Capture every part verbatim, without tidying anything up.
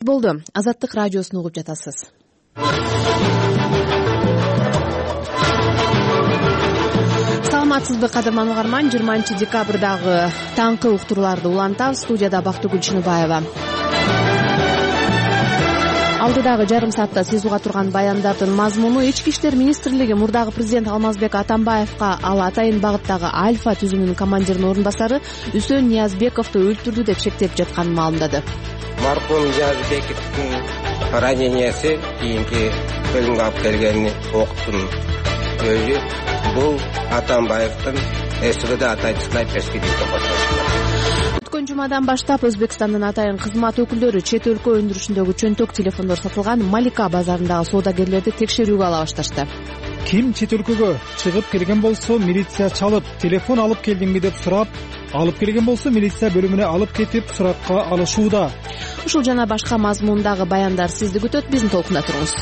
Болду. Азаттык радиосун угуп жатасыз. Саламатсызбы, кадырман угарман? жыйырманчы декабрдагы таңкы уктурууларды улантабыз. Студияда Бактыгүл Чыныбаева. Алдыдагы жарым саатта сиз уга турган баяндардын мазмуну: Ички иштер министрлиги мурдагы президент Алмазбек Атамбаевка ал Атайын багыттагы Альфа түзүмүнүн командиринин орун басары Үсөн Ниязбековду өлтүрдү деп шектеп жатканын маалымдады. Маркум Ниязбековдун ранениясы кийинки өлүмгө алып келгени октун өзү бул Атамбаевдин СВД Атайын снайперский деп аталат. Өткөн жумадан баштап Өзбекстандын атайын кызмат өкүлдөрү чет өлкө өндүрүшүндөгү чөнтөк телефондор сатылган Малика базарындагы соодагерлерди текшерүүгө ала башташты. Ким чет өлкөгө чыгып келген болсо, милиция чалып, телефон алып келдиңби деп сурап, алып келген болсо, милиция бөлүмүнө алып кетип суракка алышууда. Ушул жана башка мазмундагы баяндар сизди күтөт. Биздин толкунда туруңуз.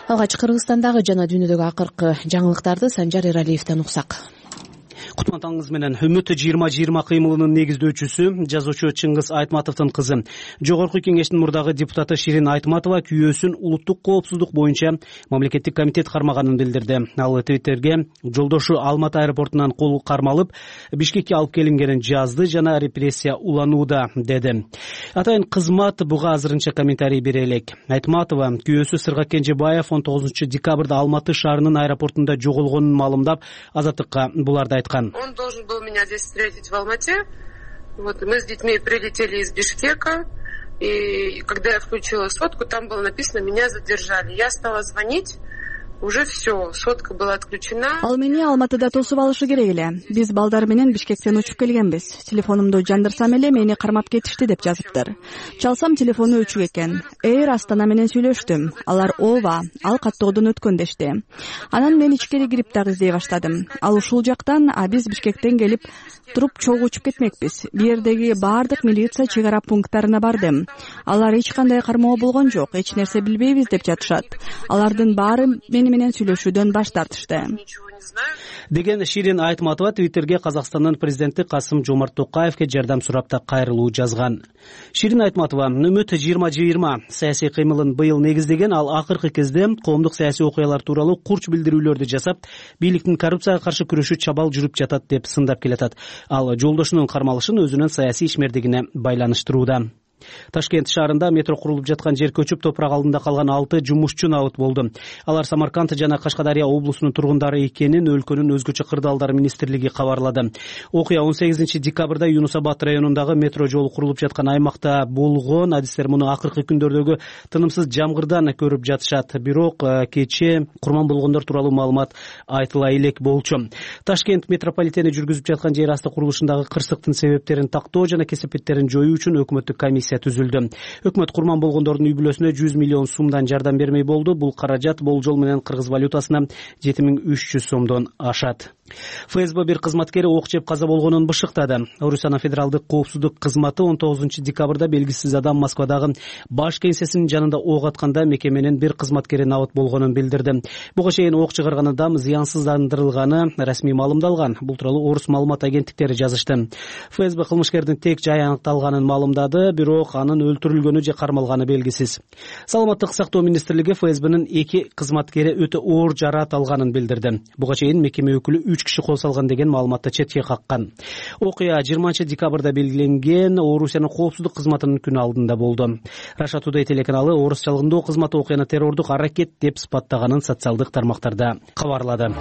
Алгач Кыргызстандагы жана дүйнөдөгү акыркы жаңылыктарды Санжар Эралиевден уксак. Кутман таңыңыз менен. Үмүт жыйырма жыйырма кыймылынын негиздөөчүсү, жазуучу Чыңгыз Айтматовдун кызы, Жогорку Кеңештин мурдагы депутаты Ширин Айтматова күйөөсүн улуттук коопсуздук боюнча мамлекеттик комитет кармаганын билдирди. Ал Твиттерге жолдошу Алматы аэропортунан кол кармалып, Бишкекке алып келингенин жазды жана репрессия уланууда деди. Атайын кызмат буга азырынча комментарий бере элек. Айтматова күйөөсү Сырга Кенжебаев он тогузунчу декабрда Алматы шаарынын аэропортунда жоголгонун маалымдап, Азаттыкка буларды айткан. Он должен был меня здесь встретить в Алмате. Вот, мы с детьми прилетели из Бишкека, и когда я включила сотку, там было написано: меня задержали. Я стала звонить. Уже все, сотка была отключена. Ал мени Алматыда тосуп алышы керек эле. Биз балдар менен Бишкектен учуп келгенбиз. Телефонумду жандырсам эле мени кармап кетишти деп жазыптыр. Чалсам телефону өчүк экен. Эйр Астана менен сүйлөштүм. Алар ооба, ал каттоодон өткөн дешти. Анан мен ичкери кирип дагы издей баштадым. Ал ушул жактан, а биз Бишкектен келип туруп чогуу учуп кетмекпиз. Бу жердеги баардык милиция чек ара пункттарына бардым. Алар эч кандай кармоо болгон жок, эч нерсе билбейбиз деп жатышат. Алардын баары мени менен сүйлөшүүдөн баш тартышты деген Ширин Айтматова Твиттерге Казакстандын президенти Касым Жомарт Токаевке жардам сурап та кайрылуу жазган. Ширин Айтматова Үмүт жыйырма жыйырма саясий кыймылын быйыл негиздеген. Ал акыркы кезде коомдук саясий окуялар тууралуу курч билдирүүлөрдү жасап, бийликтин коррупцияга каршы күрөшү чабал жүрүп жатат деп сындап келатат. Ал жолдошунун кармалышын өзүнүн саясий ишмердигине байланыштырууда. Ташкент шаарында метро курулуп жаткан жер көчүп, топурак алдында калган алты жумушчу набыт болду. Алар Самарканд жана Кашкадария облусунун тургундары экенин өлкөнүн өзгөчө кырдаалдар министрлиги кабарлады. Окуя он сегизинчи декабрда Юнус Абад районундагы метро жолу курулуп жаткан аймакта болгон. Адистер муну акыркы күндөрдөгү тынымсыз жамгырдан көрүп жатышат. Бирок кечээ курман болгондор тууралуу маалымат айтыла элек болчу. Ташкент метрополитени жүргүзүп жаткан жер асты курулушундагы кырсыктын себептерин тактоо жана кесепеттерин жоюу үчүн өкмөттүк комиссия түзүлдү. Өкмөт курман болгондордун үй бүлөсүнө жүз миллион сомдон жардам бермей болду. Бул каражат болжол менен кыргыз валютасына жети миң үч жүз сомдон ашат. ФСБ бир кызматкери ок жеп каза болгонун бышыктады. Орусияна федералдык коопсуздук кызматы он тогузунчу декабрда белгисиз адам Москвадагы баш кеңсесинин жанында ок атканда мекеменин бир кызматкери набыт болгонун билдирди. Буга чейин ок чыгарган адам зыянсыздандырылганы расмий маалымдалган. Бул тууралуу орус маалымат агенттиктери жазышты. ФСБ кылмышкердин тек жай аныкталганын маалымдады, бирок анын өлтүрүлгөнү же кармалганы белгисиз. Саламаттык сактоо министрлиги ФСБнин эки кызматкери өтө оор жараат алганын билдирди. Буга чейин мекеме өкүлү үч киши кол салган деген маалыматты четке каккан. Окуя жыйырманчы декабрда белгиленген Орусиянын коопсуздук кызматынын күнү алдында болду. Russia Today телеканалы орусчалыгындоо кызматы окуяны террордук аракет деп сыпаттаганын социалдык тармактарда кабарлады.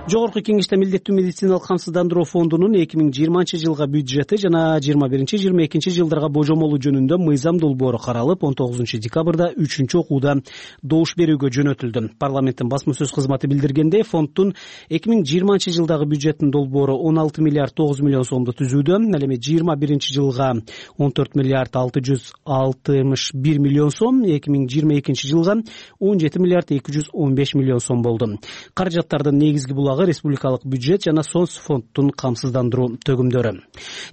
Жогорку Кеңеште милдеттүү медициналык камсыздандыруу фондунун эки миң жыйырманчы жылга бюджети жана жыйырма биринчи жыйырма экинчи жылдарга божомолу жөнүндө мыйзам долбоору каралып, он тогузунчу декабрда үчүнчү окууда добуш берүүгө жөнөтүлдү. Парламенттин басма сөз кызматы билдиргендей, фонддун эки миң жыйырманчы жылдагы бюджеттин долбоору он алты миллиард тогуз миллион сомду түзүүдө. Ал эми жыйырма биринчи жылга он төрт миллиард алты жүз алтымыш бир миллион сом, эки миң жыйырма экинчи жылга он жети миллиард эки жүз он беш миллион сом болду. Каражаттардын негизги булак республикалык бюджет жана соц фонддун камсыздандыруу төгүмдөрү.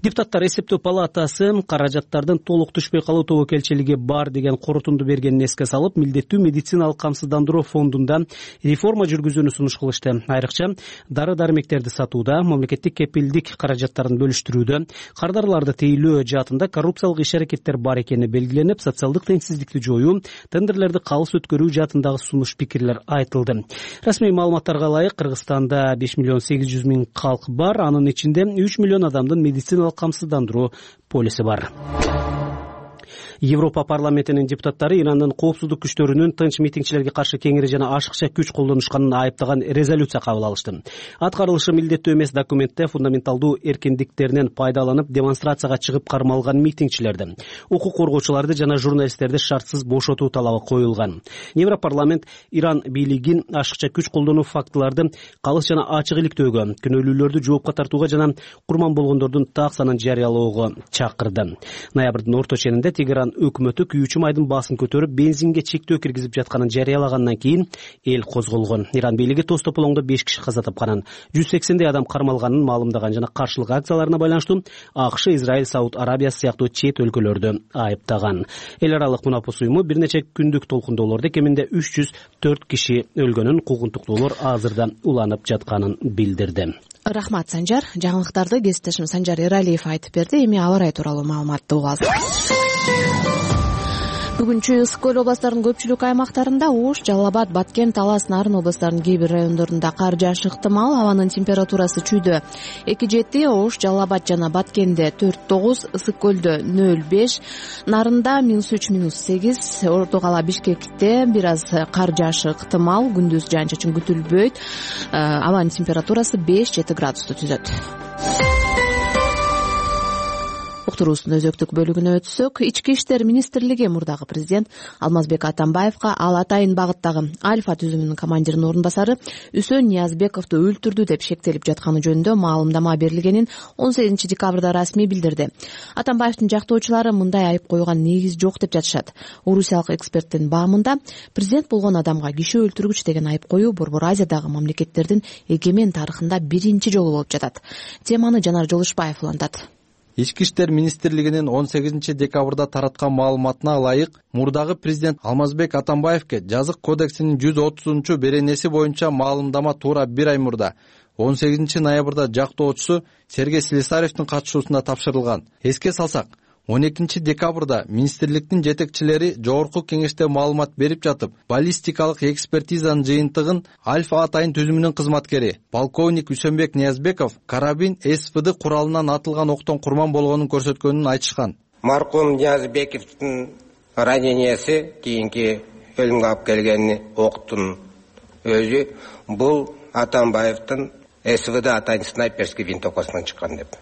Депутаттар эсептөө палатасы каражаттардын толук түшпөй калуу тобокелчилиги бар деген корутунду бергенин эске салып, милдеттүү медициналык камсыздандыруу фондунда реформа жүргүзүүнү сунуш кылышты. Айрыкча дары дары-дармектерди сатууда, мамлекеттик кепилдик каражаттарын бөлүштүрүүдө, кардарларды тейлөө жаатында коррупциялык иш-аракеттер бар экени белгиленип, социалдык теңсиздикти жоюу, тендерлерди калыс өткөрүү жаатындагы сунуш пикирлер айтылды. Расмий маалыматтарга ылайык, Кыргызстанда беш миллион сегиз жүз миң калк бар, анын ичинде үч миллион адамдын медициналык камсыздандыруу полиси бар. Европа парламентинин депутаттары Ирандын коопсуздук күчтөрүнүн тынч митингчилерге каршы кеңири жана ашыкча күч колдонушканын айыптаган резолюция кабыл алышты. Аткарылышы милдеттүү эмес документте фундаменталдуу эркиндиктеринен пайдаланып демонстрацияга чыгып кармалган митингчилерди, укук коргоочуларды жана журналисттерди шартсыз бошотуу талабы коюлган. Европарламент Иран бийлигин ашыкча күч колдонуу фактыларды калыс жана ачык иликтөөгө, күнөөлүүлөрдү жоопко тартууга жана курман болгондордун так санын жарыялоого чакырды. Ноябрдын орто ченинде Тегеран өкмөтү күйүүчү майдын баасын көтөрүп, бензинге чектөө киргизип жатканын жарыялагандан кийин эл козголгон. Иран бийлиги тоз тополоңдо беш киши каза тапканын, жүз сексендей адам кармалганын маалымдаган жана каршылык акцияларына байланыштуу АКШ, Израиль, Сауд Арабиясы сыяктуу чет өлкөлөрдү айыптаган. Эл аралык мунапус уюму бир нече күндүк толкундоолордо кеминде үч жүз төрт киши өлгөнүн, куугунтуктуулар азырда уланып жатканын билдирди. Рахмат, Санжар. Жаңылыктарды кесиптешим Санжар Эралиев айтып берди. Эми аба ырайы тууралуу маалыматты угабыз. Бүгүнчү ысык көл областарынын көпчүлүк аймактарында Ош, Жалал Абад, Баткен, Талас, Нарын областарынын кээ бир райондорунда кар жаашы ыктымал. Абанын температурасы чүйдө эки жети, Ош, Жалал Абад жана Баткенде төрт тогуз, ысык көлдө нөл беш, Нарында минус үч, минус сегиз, Орто кала Бишкекте бир аз кар жаашы ыктымал. Күндүз жаан чачын күтүлбөйт. Абанын температурасы беш жети градусту түзөт. Уктуруубуздун өзөктүк бөлүгүнө өтсөк, Ички иштер министрлиги мурдагы президент Алмазбек Атамбаевка Ал Атайын багыттагы Альфа түзүмүнүн командиринин орун басары Үсөн Ниязбековду өлтүрдү деп шектелип жатканы жөнүндө маалымдама берилгенин он сегизинчи декабрда расмий билдирди. Атамбаевдин жактоочулары мындай айып койгон негиз жок деп жатышат. Орусиялык эксперттин баамында президент болгон адамга киши өлтүргүч деген айып коюу Борбор Азиядагы мамлекеттердин эгемен тарыхында биринчи жолу болуп жатат. Теманы Жанар Жолушбаев улантат. Ички иштер министрлигинин он сегизинчи декабрда тараткан маалыматына ылайык, мурдагы президент Алмазбек Атамбаевке жазык кодексинин жүз отузунчу беренеси боюнча маалымдама туура бир ай мурда он сегизинчи ноябрда жактоочусу Сергей Слесаревдин катышуусунда тапшырылган. Эске салсак, он экинчи декабрда министрликтин жетекчилери жогорку кеңеште маалымат берип жатып, баллистикалык экспертизанын жыйынтыгын Альфа Атайын түзүмүнүн кызматкери полковник Үсөнбек Ниязбеков карабин СВД куралынан атылган октон курман болгонун көрсөткөнүн айтышкан. Маркум Ниязбековдун раненияси, кийинки өлүмгө алып келген октун өзү бул Атамбаевдин СВД Атайын снайперский винтовкасынан чыккан деп.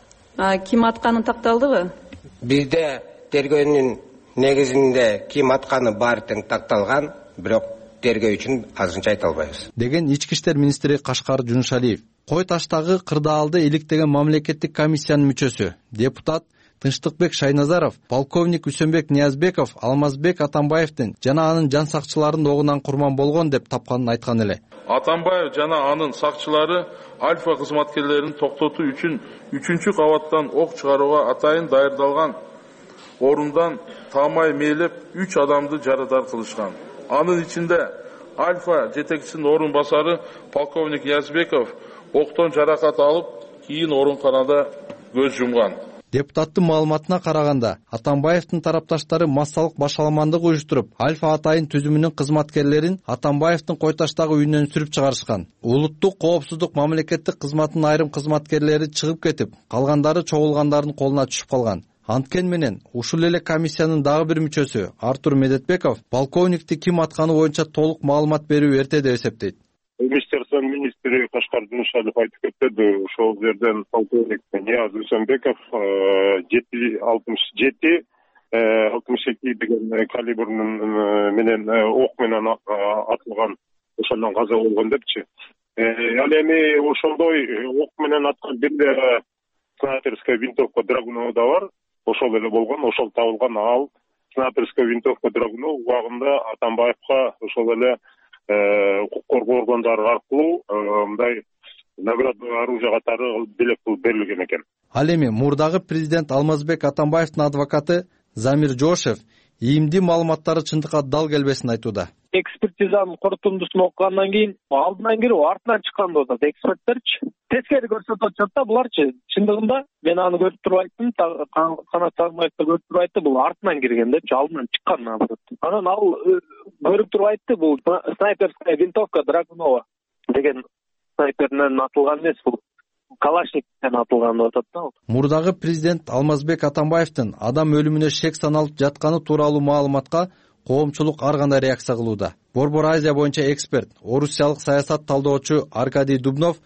Ким атканы такталдыбы? Бизде тергөөнүн негизинде ким атканы баары тең такталган, бирок тергөө үчүн азырынча айта албайбыз, деген Ички иштер министри Кашкар Жунушалиев. Кой таштагы кырдаалды иликтеген мамлекеттик комиссиянын мүчөсү, депутат Тынчтыкбек Шайназаров полковник Үсөнбек Ниязбеков Алмазбек Атамбаевдин жана анын жан сакчыларынын огунан курман болгон деп тапканын айткан эле. Атамбаев жана анын сакчылары Альфа кызматкерлерин токтотуу үчүн үчүнчү кабаттан ок чыгарууга атайын даярдалган орундан таамай мээлеп үч адамды жарадар кылышкан. Анын ичинде Альфа жетекчисинин орун басары полковник Ниязбеков октон жаракат алып, кийин ооруканада көз жумган. Депутаттын маалыматына караганда, Атамбаевдин тарапташтары массалык башаламандык уюштуруп, Альфа Атайын түзүмүнүн кызматкерлерин Атамбаевдин кой таштагы үйүнөн сүрүп чыгарышкан. Улуттук коопсуздук мамлекеттик кызматтын айрым кызматкерлери чыгып кетип, калгандары чогулгандардын колуна түшүп калган. Анткени менен ушул эле комиссиянын дагы бир мүчөсү Артур Медетбеков полковникти ким атканы боюнча толук маалымат берүү эрте деп эсептейт. Министерство министри Кашкар Жунушалиев айтып кетти, ошол жерден полковник Нияз Үсөнбеков жети алтымыш жети алтымыш эки деген калибрнын менен ок менен атылган, ошондон каза болгон депчи. Ал эми ошондой ок менен аткан бир снайперская винтовка Драгунова да бар, ошол эле болгон, ошол табылган. Ал снайперская винтовка Драгунова убагында Атамбаевка ошол эле укук коргоо органдары аркылуу мындай наградный оружие катары белек кылып берилген экен. Ал эми мурдагы президент Алмазбек Атамбаевдин адвокаты Замир Жошев ийимдүү маалыматтары чындыкка дал келбесин айтууда. экспертизанын корутундусун окугандан кийин алдынан кирип артынан чыккан деп атат эксперттерчи. Тескери көрсөтүп атышат да буларчы. Чындыгында мен аны көрүп туруп айттым, Канат Сагынбаев да көрүп туруп айтты, бул артынан кирген депчи, алдынан чыккан наоборот. Анан ал көрүп туруп айтты, бул снайперская винтовка Драгунова деген снайперден атылган эмес, бул Калашниковден атылган деп атат да. Мурдагы президент Алмазбек Атамбаевдин адам өлүмүнө шек саналып жатканы тууралуу маалыматка коомчулук ар кандай реакция кылууда. Борбор Азия боюнча эксперт, орусиялык саясат талдоочу Аркадий Дубнов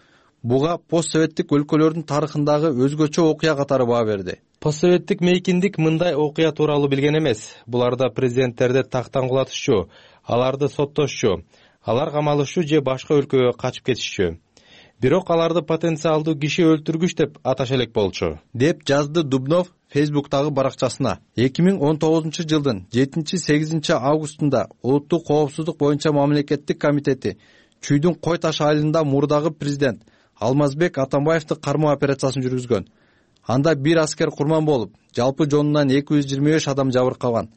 буга постсоветтик өлкөлөрдүн тарыхындагы өзгөчө окуя катары баа берди. Постсоветтик мейкиндик мындай окуя тууралуу билген эмес. Буларда президенттерди тактан кулатышчу, аларды соттошчу, алар камалышчу же башка өлкөгө качып кетишчү. Бирок аларды потенциалдуу киши өлтүргүч деп аташ элек болчу, деп жазды Дубнов Фейсбуктагы баракчасына. эки миң он тогузунчу жылдын жетинчи сегизинчи августунда Улуттук коопсуздук боюнча мамлекеттик комитети Чүйдүн Кой Таш айылында мурдагы президент Алмазбек Атамбаевди кармоо операциясын жүргүзгөн. Анда бир аскер курман болуп, жалпы жонунан эки жүз жыйырма беш адам жабыркаган.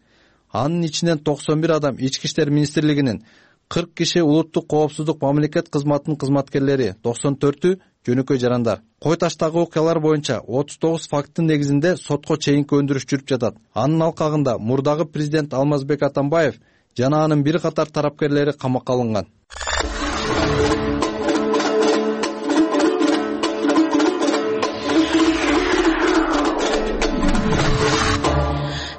Анын ичинен токсон бир адам Ички иштер министрлигинин, кырк киши улуттук коопсуздук мамлекет кызматынын кызматкерлери, токсон төртү жөнөкөй жарандар. Кой Таштагы окуялар боюнча отуз тогуз факттын негизинде сотко чейинки өндүрүш жүрүп жатат. Анын алкагында мурдагы президент Алмазбек Атамбаев жана анын бир катар тарапкерлери камакка алынган.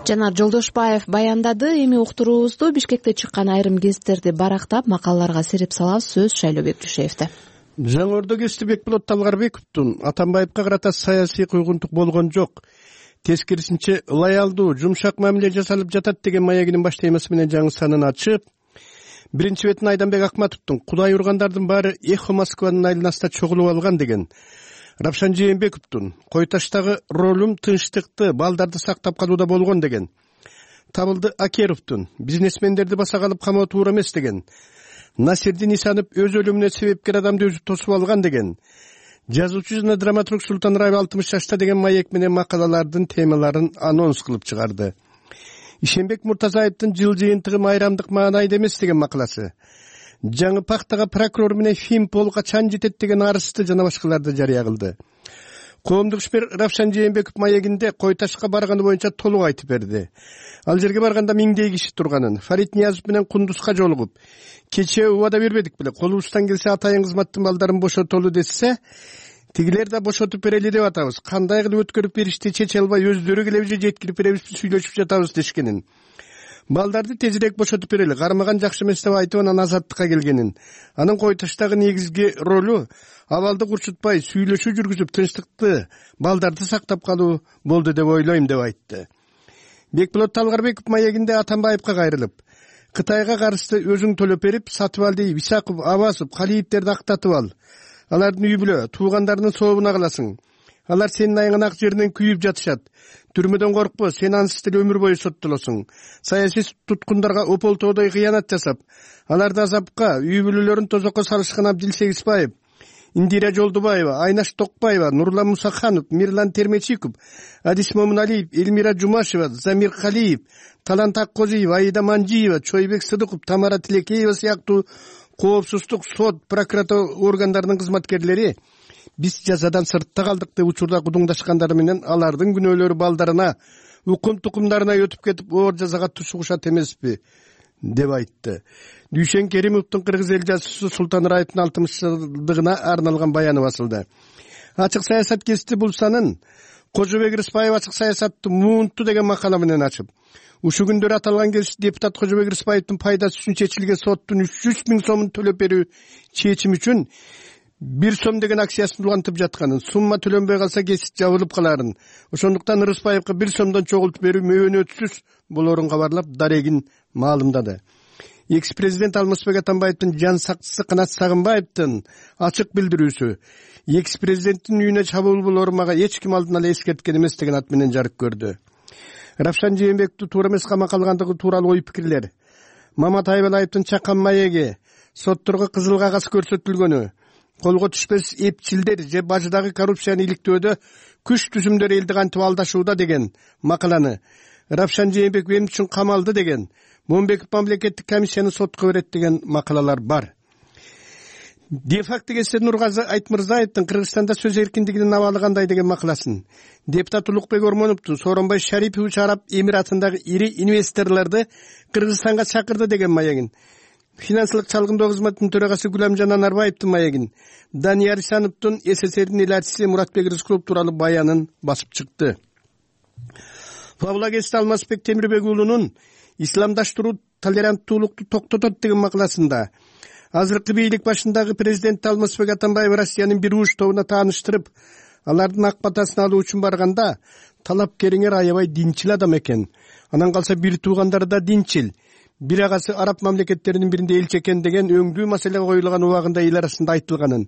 Жанар Жолдошбаев баяндады. Эми уктуруубузду Бишкекте чыккан айрым гезиттерди барактап, макалаларга сереп салабыз. Сөз Шайлообек Жушеевде. Жаңы Ордо гезити Бекболот Талгарбековдун Атамбаевка карата саясий куйгунтук болгон жок, тескерисинче ылайалдуу, жумшак мамиле жасалып жатат деген маегинин баш темасы менен жаңы санын ачып, биринчи бетин Айданбек Акматовдун Кудай ургандардын баары Эхо Москванын айланасында чогулуп алган деген, Равшан Жээнбековдун Кой Таштагы ролум тынчтыкты, балдарды сактап калууда болгон деген, Табылды Акеровдун бизнесмендерди баса калып камоо туура эмес деген, Насирдин Исанов өз өлүмүнө себепкер адамды өзү тосуп алган деген, жазуучу жана драматург Султан Раев алтымыш жашта деген маек менен макалалардын темаларын анонс кылып чыгарды. Ишенбек Муртазаевдин жыл жыйынтыгы майрамдык маанайда эмес деген макаласы, жаңы Пактага прокурор менен Фимпол качан жетет деген арызды жана башкаларды жарыя кылды. Коомдук ишмер Равшан Жээнбеков маегинде Кой Ташка барганы боюнча толук айтып берди. Ал жерге барганда миңдей киши турганын, Фарид Ниязов менен Кундузга жолугуп, кечээ убада бербедик беле, колубуздан келсе атайын кызматтын балдарын бошотолу десе, тигилер да бошотуп берели деп атабыз. Кандай кылып өткөрүп беришти чече албай өздөрү келеби же жеткирип беребизби, сүйлөшүп жатабыз дешкенин. Балдарды тезирээк бошотуп берели, кармаган жакшы эмес деп айтып анан азаттыкка келгенин. Анын Кой Таштагы негизги ролу абалды курчутпай сүйлөшүү жүргүзүп тынчтыкты, балдарды сактап калуу болду деп ойлойм деп айтты. Бекболот Талгарбеков маегинде Атамбаевка кайрылып, Кытайга каршы өзүң төлөп берип, Сатыбалдиев, Исаков, Абасов, Калиевтерди актатып ал. Алардын үй бүлө, туугандарынын сообуна каласың. Алар сенин айган ак жеринен күйүп жатышат. Түрмөдөн коркпо, сен ансыз деле өмүр бою соттолосуң. Саясий туткундарга ополтоодой кыянат жасап, аларды азапка, үй бүлөлөрүн тозокко салышкан Абдил Сегизбаев, Индира Жолдубаева, Айнаш Токпаева, Нурлан Мусаханов, Мирлан Термечиков, Адис Момуналиев, Элмира Жумашева, Замир Калиев, Талант Аккозиев, Аида Манжиева, Чойбек Сыдыков, Тамара Тилекеева сыяктуу коопсуздук, сот, прокуратура органдарынын кызматкерлери биз жазадан сыртта калдык деп учурда кудуңдашкандары менен алардын күнөөлөрү балдарына, укум тукумдарына өтүп кетип, оор жазага тушугушат эмеспи деп айтты. Дүйшен Керимовдун кыргыз эл жазуучусу Султан Раевдин алтымыш жылдыгына арналган баяны басылды. Ачык саясат гезити бул санын Кожобек Рыспаев ачык саясатты муунту деген макала менен ачып, ушул күндөрү аталган гезит депутат Кожобек Рыспаевдин пайдасы үчүн чечилген соттун үч жүз миң сомун төлөп берүү чечими үчүн бир сом деген акциясын улантып жатканын, сумма төлөнбөй калса гезит жабылып каларын, ошондуктан Рыспаевка бир сомдон чогултуп берүү мөөнөтсүз болоорун кабарлап, дарегин маалымдады. Экс-президент Алмазбек Атамбаевдин жан сакчысы Канат Сагынбаевдин ачык билдирүүсү, экс-президенттин үйүнө чабуул болоорун мага эч ким алдын ала эскерткен эмес деген ат менен жарык көрдү. Равшан Жээнбековду туура эмес камакка алгандыгы тууралуу ой пикирлер, Мамат Айбалаевдин чакан маеги, сотторго кызыл кагаз көрсөтүлгөнү, колго түшпөс эпчилдер же бажыдагы коррупцияны иликтөөдө күч түзүмдөр элди кантип алдашууда деген макаланы, Равшан Жээнбеков эмне үчүн камалды деген, момунбеков мамлекеттик комиссияны сотко берет деген макалалар бар. Де факто келсе Нургазы Айтмырзаевдин Кыргызстанда сөз эркиндигинин абалы кандай деген макаласын, депутат Улукбек Ормоновду Сооронбай Шарипович Араб Эмиратындагы ири инвесторлорду Кыргызстанга чакырды деген маегин, финансылык чалгындоо кызматынын төрагасы Гүламжан Анарбаевдин маегин, Данияр Исановдун СССРдин эл элчиси Муратбек Рыскулов тууралуу баянын басып чыкты. Павлогест Алмазбек Темирбек уулунун исламдаштыруу толеранттуулукту токтотот деген макаласында азыркы бийлик башындагы президент Алмазбек Атамбаев Россиянын бир уш тобуна тааныштырып, алардын ак батасын алуу үчүн барганда талапкериңер аябай динчил адам экен. Анан калса бир туугандары да динчил. Бир агасы араб мамлекеттеринин биринде элчи экен деген өңдүү маселе коюлган убагында эл арасында айтылганын.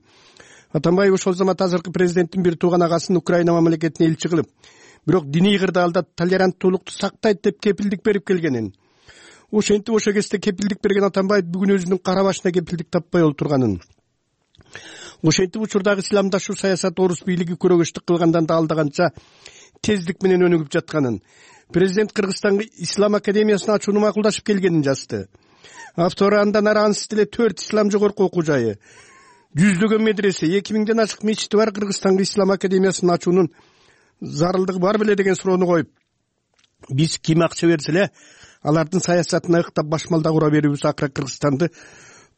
Атамбаев ошол замат азыркы президенттин бир тууган агасын Украина мамлекетине элчи кылып, бирок диний кырдаалда толеранттуулукту сактайт деп кепилдик берип келгенин. Ошентип ошол кезде кепилдик берген Атамбаев бүгүн өзүнүн кара башына кепилдик таппай олтурганын. Ошентип учурдагы исламдашуу саясат орус бийлиги көрөгөчтүк кылгандан да алдаганча тездик менен өнүгүп жатканын, президент Кыргызстанга Ислам академиясын ачууну макулдашып келгенин жазды. Автору андан ары ансыз деле төрт ислам жогорку окуу жайы, жүздөгөн медресе, эки миңден ашык мечити бар Кыргызстанга Ислам академиясын ачуунун зарылдыгы бар беле деген суроону коюп, биз ким акча берсе эле алардын саясатына ыктап башмалда кура берүүбүз акыры Кыргызстанды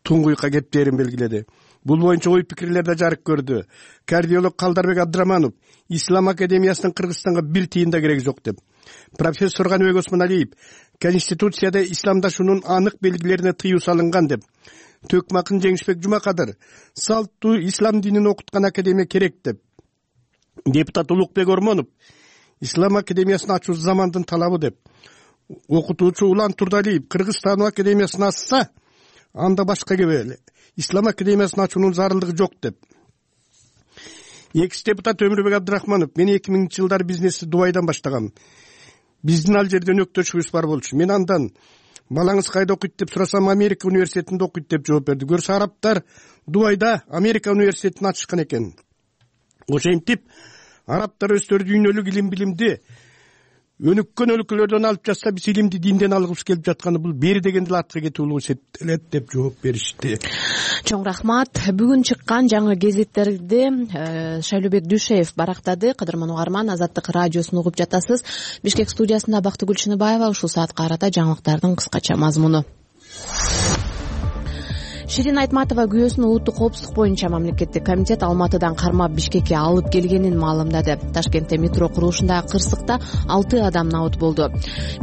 туңгуйка кептерин белгиледи. Бул боюнча ой пикирлер да жарык көрдү. Кардиолог Калдарбек Абдыраманов Ислам академиясынын Кыргызстанга бир тыйын да кереги жок деп. Профессор Каныбек Осмоналиев Конституцияда исламдашуунун анык белгилерине тыюу салынган деп. Төкмакын Жеңишбек Жумакадыр салттуу ислам динин окуткан академия керек деп. Депутат Улукбек Ормонов Ислам академиясын ачуу замандын талабы деп. Окутуучу Улан Турдалиев Кыргызстан академиясын ачса, анда башка кебеле. Ислам академиясын ачуунун зарылдыгы жок деп. Экс депутат Өмүрбек Абдырахманов мен эки миңинчи жылдары бизнести Дубайдан баштагам. Биздин ал жерде өнөктөшүбүз бар болчу. Мен андан балаңыз кайда окуйт деп сурасам, Америка университетинде окуйт деп жооп берди. Көрсө арабтар Дубайда Америка университетин ачышкан экен. Ошентип арабтар өздөрү дүйнөлүк илим билимди өнүккөн өлкөлөрдөн алып жатса, биз илимди динден алгыбыз келип жатканы бул бери деген деле артка кетүү эсептелет деп жооп беришти. Чоң рахмат. Бүгүн чыккан жаңы гезиттерди Шайлообек Дүйшеев барактады. Кадырман угарман, Азаттык радиосун угуп жатасыз. Бишкек студиясында Бактыгүл Чыныбаева. Ушул саатка карата жаңылыктардын кыскача мазмуну. Ширин Айтматова күйөөсүн улуттук коопсуздук боюнча мамлекеттик комитет Алматыдан кармап Бишкекке алып келгенин маалымдады. Ташкентте метро курулушундагы кырсыкта алты адам набыт болду.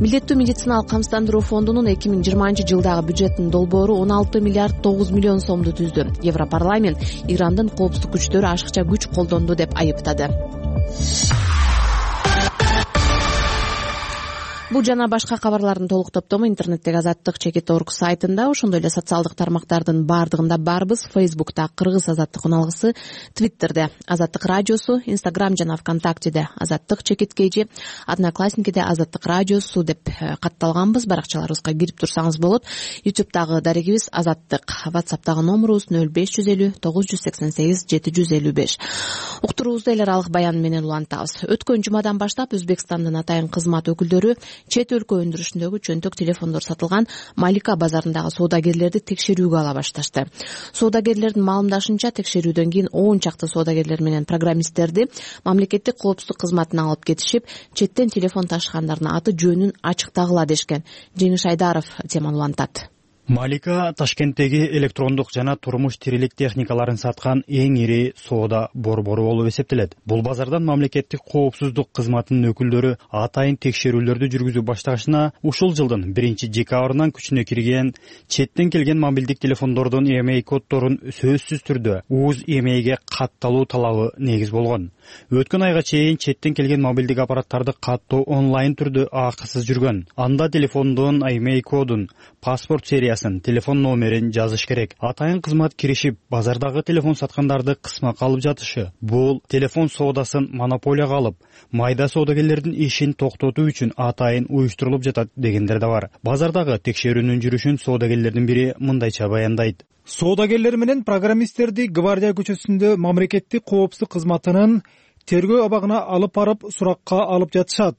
Милдеттүү медициналык камсыздандыруу фондунун эки миң жыйырманчы жылдагы бюджетинин долбоору он алты миллиард тогуз миллион сомду түздү. Европарламент Ирандын коопсуздук күчтөрү ашыкча күч колдонду деп айыптады. Бул жана башка кабарлардын толук топтому интернеттеги азаттык чекит точка орг сайтында, ошондой эле социалдык тармактардын баардыгында барбыз. Фейсбукта Кыргыз азаттык уналгысы, Твиттерде Азаттык радиосу, Инстаграм жана ВКонтактеде Азаттык чекит кж, Одноклассникиде Азаттык радиосу деп катталганбыз. Баракчаларыбызга кирип турсаңыз болот. Ютубтагы дарегибиз Азаттык, WhatsAppтагы номурубуз нөл беш жүз элүү тогуз жүз сексен сегиз жети жүз элүү беш. Уктуруубузду эл аралык баян менен улантабыз. Өткөн жумадан баштап Өзбекстандын атайын кызмат өкүлдөрү чет өлкө өндүрүшүндөгү чөнтөк телефондор сатылган Малика базарындагы соодагерлерди текшерүүгө ала башташты. Соодагерлердин маалымдашынча, текшерүүдөн кийин он чакты соодагерлер менен программисттерди мамлекеттик коопсуздук кызматына алып кетишип, четтен телефон ташыгандардын аты жөнүн ачыктагыла дешкен. Жеңиш Айдаров теманы улантат. Малика Ташкенттеги электрондук жана турмуш тирилик техникаларын саткан эң ири соода борбору болуп эсептелет. Бул базардан мамлекеттик коопсуздук кызматынын өкүлдөрү атайын текшерүүлөрдү жүргүзүп баштагачына ушул жылдын биринчи декабрынан күчүнө кирген четтен келген мобилдик телефондордун и эм эй коддорун сөзсүз түрдө УЗ и эм эйге катталуу талабы негиз болгон. Өткөн айга чейин четтен келген мобилдик аппараттарды каттоо онлайн түрдө акысыз жүргөн. Анда телефондун и эм эй кодун, паспорт сериясын, телефон номерин жазыш керек. Атайын кызмат киришип, базардагы телефон саткандарды кысмак алып жатышы. Бул телефон соодасын монополияга алып, майда соодагерлердин ишин токтотуу үчүн атайын уюштурулуп жатат дегендер да бар. Базардагы текшерүүнүн жүрүшүн соодагерлердин бири мындайча баяндайт. Соодагерлер менен программисттерди Гвардия көчөсүндө мамлекеттик коопсуздук кызматынын тергөө абагына алып барып суракка алып жатышат.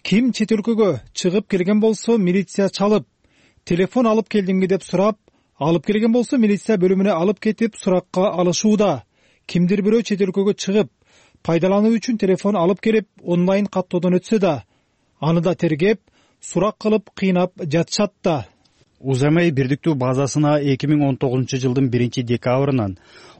Ким чет өлкөгө чыгып келген болсо милиция чалып, телефон алып келдиңби деп сурап, алып келген болсо милиция бөлүмүнө алып кетип суракка алышууда. Кимдир бирөө чет өлкөгө чыгып, пайдалануу үчүн телефон алып келип, онлайн каттоодон өтсө да, аны да тергеп, сурак кылып кыйнап жатышат да. УЗМ бирдиктүү базасына эки миң он тогузунчу жылдын биринчи декабрынан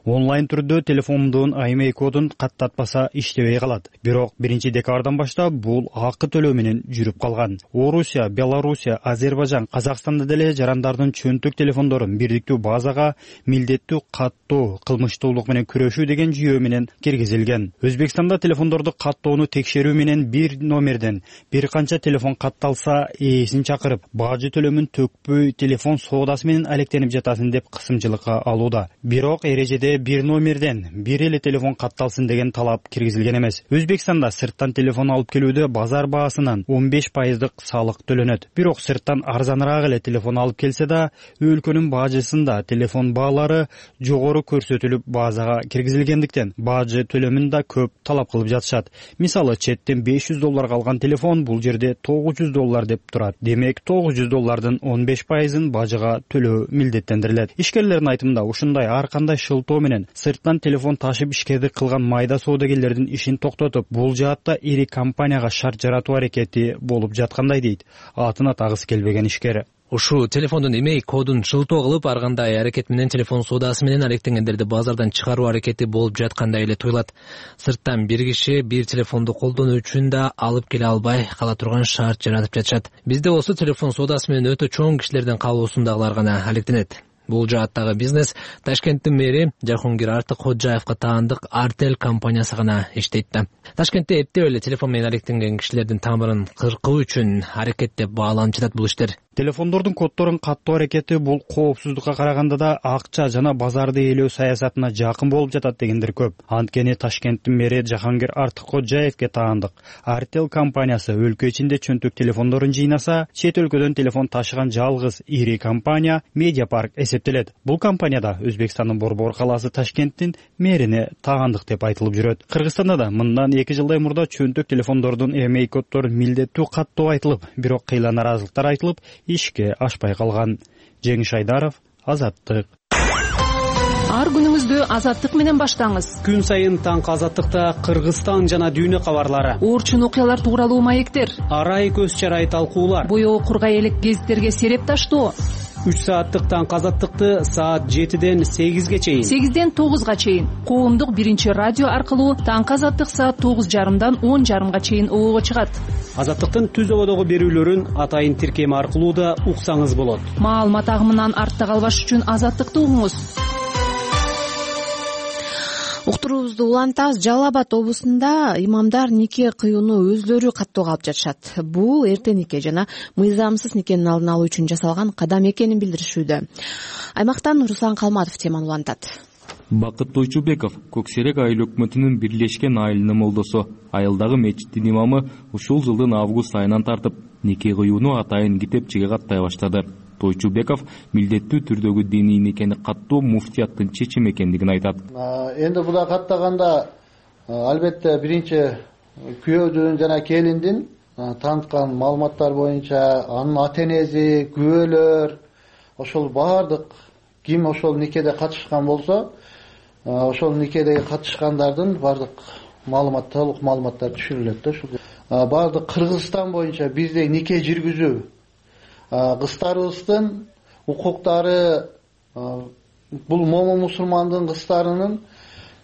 онлайн түрдө телефондун ай эм эй кодун каттатпаса иштебей калат. Бирок биринчи декабрдан баштап бул акы төлөө менен жүрүп калган. Орусия, Белоруссия, Азербайжан, Казакстанда деле жарандардын чөнтөк телефондорун бирдиктүү базага милдеттүү каттоо, кылмыштуулук менен күрөшүү деген жүйө менен киргизилген. Өзбекстанда телефондорду каттоону текшерүү менен бир номерден бир канча телефон катталса, ээсин чакырып, бажы төлөмүн төкпөй телефон соодасы менен алектенип жатасың деп кысымчылыкка алууда. Бирок эрежеде бир номерден бир эле телефон катталсын деген талап киргизилген эмес. Өзбекстанда сырттан телефон алып келүүдө базар баасынан он беш пайыздык салык төлөнөт. Бирок сырттан арзаныраак эле телефон алып келсе да, өлкөнүн бажысында телефон баалары жогору көрсөтүлүп базага киргизилгендиктен бажы төлөмүн да көп талап кылып жатышат. Мисалы, четтен беш жүз долларга алган телефон бул жерде тогуз жүз доллар деп турат. Демек, тогуз жүз доллардын он беш пайызын бажыга төлөө милдеттендирилет. Ишкерлердин айтымында ушундай ар кандай шылтоо менен сырттан телефон ташып ишкердик кылган майда соодагерлердин ишин токтотуп, бул жаатта ири компанияга шарт жаратуу аракети болуп жаткандай дейт атын атагысы келбеген ишкер. Ушул телефондун имей кодун шылтоо кылып, ар кандай аракет менен телефон соодасы менен алектенгендерди базардан чыгаруу аракети болуп жаткандай эле туюлат. Сырттан бир киши бир телефонду колдонуу үчүн да алып келе албай кала турган шарт жаратып жатышат. Бизде болсо телефон соодасы менен өтө чоң кишилердин каалоосундагылар гана алектенет. Бул жааттагы бизнес Ташкенттин мэри Жахонгир Артыкходжаевга таандык Артел компаниясы гана иштейт да. Ташкентте эптеп эле телефон менен алектенген кишилердин тамырын кыркуу үчүн аракеттеп бааланып жатат бул иштер. Телефондордун коддорун каттоо аракети бул коопсуздукка караганда да акча жана базарды ээлөө саясатына жакын болуп жатат дегендер көп. Анткени Ташкенттин мэри Жахонгир Артыкходжаевге таандык Артел компаниясы өлкө ичинде чөнтөк телефондорун жыйнаса, чет өлкөдөн телефон ташыган жалгыз ири компания Медиапарк эсептелет. Бул компанияда Өзбекстандын Борбор калаасы Ташкенттин мэрине таандык деп айтылып жүрөт. Кыргызстанда да мындан эки жылдай мурда чөнтөк телефондордун эм эй коддорун милдеттүү каттоо айтылып, бирок кыйла наразылыктар айтылып, ишке ашпай калган. Жеңиш Айдаров, Азаттык. Ар күнүңүздү Азаттык менен баштаңыз. Күн сайын таңкы Азаттыкта Кыргызстан жана дүйнө кабарлары, орчун окуялар тууралуу маектер, арай көз чарай талкуулар, боёо кургай элек гезиттерге сереп таштоо. үч сааттык таңкы Азаттыкты саат жетиден сегизге чейин, сегизден тогузга чейин коомдук биринчи радио аркылуу таңкы Азаттык саат тогуз жарымдан он жарымга чейин обого чыгат. Азаттыктын түз ободогу берүүлөрүн атайын тиркеми аркылуу да уксаңыз болот. Маалымат агымынан артта калбаш үчүн Азаттыкты угуңуз. Уктуруубузду улантабыз. Жалал Абад облусунда имамдар нике кыюуну өзлөрү каттоого алып жатышат. Бул эрте нике жана мыйзамсыз никенин алдын алуу үчүн жасалган кадам экенин билдиришүүдө. Аймактан Руслан Калматов теманы улантат. Бакыт Тойчубеков Көк Серек айыл өкмөтүнүн бирлешкен айылынын молдосу. Айылдагы мечиттин имамы ушул жылдын август айынан тартып нике кыюуну атайын китепчеге каттай баштады. Тойчубеков милдеттүү түрдөгү диний никени каттоо муфтияттын чечими экендигин айтат. Энди буга каттаганда албетте биринчи күйөөдүн жана келиндин таныткан маалыматтар боюнча анын ата энеси, күбөлөр, ошол баардык ким ошол никеде катышкан болсо, ошол никедеги катышкандардын баардык маалымат, толук маалыматтар түшүрүлөт да. Ушул баардык Кыргызстан боюнча бизде нике жүргүзүү кыздарыбыздын укуктары, бул момун мусулмандын кыздарынын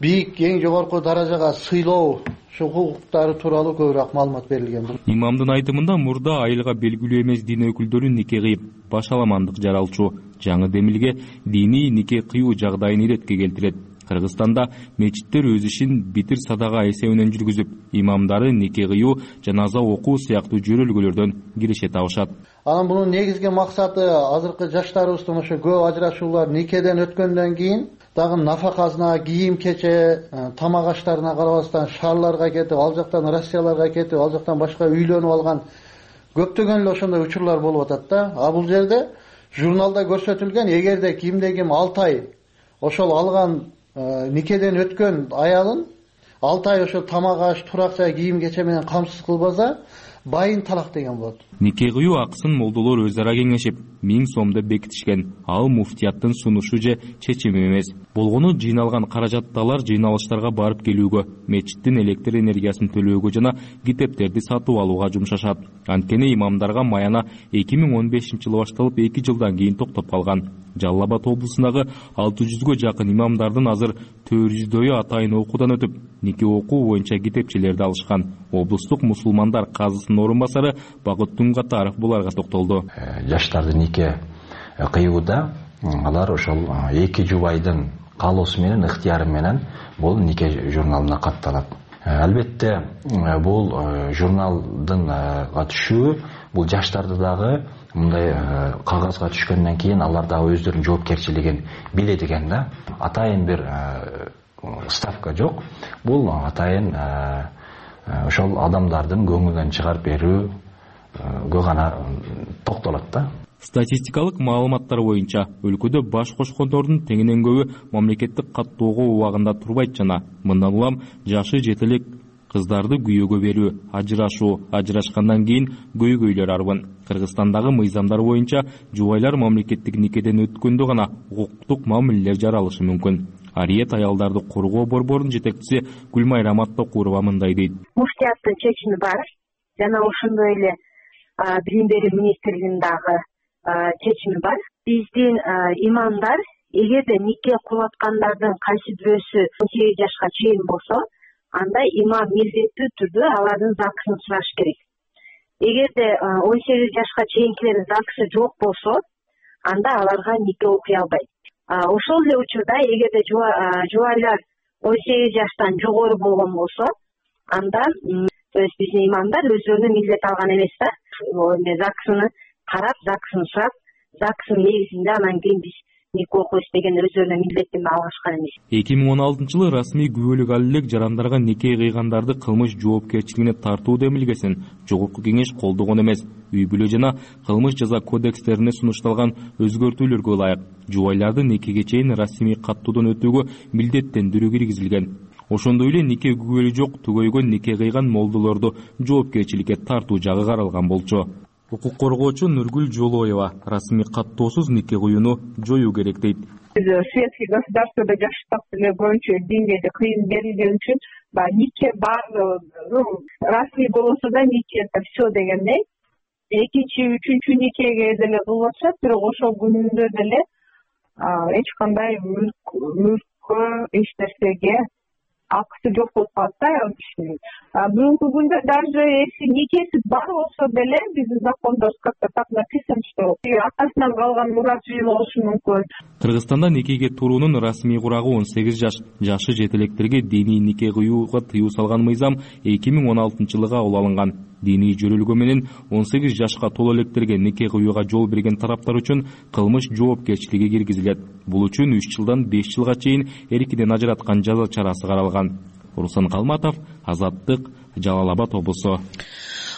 бийик, эң жогорку даражага сыйлоо, ушул укуктары тууралуу көбүрөөк маалымат берилген. Имамдын айтымында мурда айылга белгилүү эмес дин өкүлдөрү нике кыйып, башаламандык жаралчу жаңы демилге диний нике кыюу жагдайын иретке келтирет. Кыргызстанда мечиттер өз ишин битир садага эсебинен жүргүзүп, имамдары нике кыюу, жаназа окуу сыяктуу жөрөлгөлөрдөн киреше табышат. Анан бунун негизги максаты азыркы жаштарыбыздын ошо көп ажырашуулар никеден өткөндөн кийин дагы нафакасына, кийим кече, тамак аштарына карабастан шаарларга кетип, ал жактан Россияларга кетип, ал жактан башка үйлөнүп алган көптөгөн эле ошондой учурлар болуп атат да. А бул жерде журналда көрсөтүлгөн, эгерде кимде ким алты ай ошол алган никеден өткөн аялын алты ай ошо тамак аш, турак жай, кийим кече менен камсыз кылбаса, байын талак деген болот. Нике кыюу акысын молдолор өз ара кеңешип миң сомду бекитишкен. Ал муфтияттын сунушу же чечими эмес. Болгону жыйналган каражатты алар жыйналыштарга барып келүүгө, мечиттин электр энергиясын төлөөгө жана китептерди сатып алууга жумшашат. Анткени имамдарга маяна эки миң он бешинчи жылы башталып эки жылдан кийин токтоп калган. Жалал Абад облусундагы алты жүзгө жакын имамдардын азыр төрт жүздөйү атайын окуудан өтүп, нике окуу боюнча китепчелерди алышкан. Облустук мусулмандар казысынын орун басары Багыт Тунгатаров буларга токтолду. Жаштарды нике кыюуда алар ошол эки жубайдын каалоосу менен, ыктыяры менен бул нике журналына катталат. Албетте бул журналдын түшүүгү бул жаштарды дагы мындай кагазга түшкөндөн кийин алар дагы өздөрүнүн жоопкерчилигин билет экен да. Атайын бир ставка жок. Бул атайын ошол адамдардын көңүлүнөн чыгарып берүүгө гана токтолот да. Статистикалык маалыматтар боюнча өлкөдө баш кошкондордун теңинен көбү мамлекеттик каттоого убагында турбайт жана мындан улам жашы жетелек кыздарды күйөөгө берүү, ажырашуу, ажырашкандан кийин көйгөйлөр арбын. Кыргызстандагы мыйзамдар боюнча жубайлар мамлекеттик никеден өткөндө гана укуктук мамилелер жаралышы мүмкүн. Ариет аялдарды коргоо борборунун жетекчиси Гүлмайра Маттакурова мындай дейт. Муфтияттын чечими бар жана ошондой эле билим берүү министрлигинин дагы чечими бар. Биздин имамдар эгерде нике кылаткандардын кайсы бирөөсү он сегиз жашка чейин болсо, анда имам милдеттүү түрдө алардын заксын сураш керек. Эгерде он сегиз жашка чейинкилердин заксы жок болсо, анда аларга нике окуй албайт. Ошол эле учурда эгерде жубайлар он сегиз жаштан жогору болгон болсо, анда то есть биздин имамдар өздөрүнө милдет алган эмес да. Заксыны карап, заксын сурап, заксынын негизинде анан кийин биз нике окуйбуз деген өздөрүнө милдеттенме алышкан эмес. эки миң он алтынчы жылы расмий күбөлүк ал элек жарандарга нике кыйгандарды кылмыш жоопкерчилигине тартуу демилгесин Жогорку Кеңеш колдогон эмес. Үй бүлө жана кылмыш жаза кодекстерине сунушталган өзгөртүүлөргө ылайык жубайларды никеге чейин расмий каттоодон өтүүгө милдеттендирүү киргизилген. Ошондой эле нике күбөлү жок түгөйгөн нике кыйган молдолорду жоопкерчиликке тартуу жагы каралган болчу. Укук коргоочу Нургүл Жолоева расмий каттоосуз нике кыюуну жоюу керек дейт. Светский государствода жаштык боюнча деңгээлде кыйын берилген үчүн нике бар, расмий болсо да нике это все дегендей. Экинчи, үчүнчү никеге деле кылып атышат, бирок ошол күнүндө деле эч кандай мүлккө, эч нерсеге акысы жок болуп калат да аял кишинин. Бүгүнкү күндө даже если никеси бар болсо деле биздин закондор как-то так написано, что атасынан калган мурас үй болушу мүмкүн. Кыргызстанда никеге туруунун расмий курагы он сегиз жаш. Жашы жетелектерге диний нике кыюуга тыюу салган мыйзам эки миң он алтынчы жылы кабыл алынган. Диний жөрөлгө менен он сегиз жашка толо электерге нике кыюуга жол берген тараптар үчүн кылмыш жоопкерчилиги киргизилет. Бул үчүн үч жылдан беш жылга чейин эркинен ажыраткан жаза чарасы каралган. Руслан Калматов, Азаттык, Жалал Абад облусу.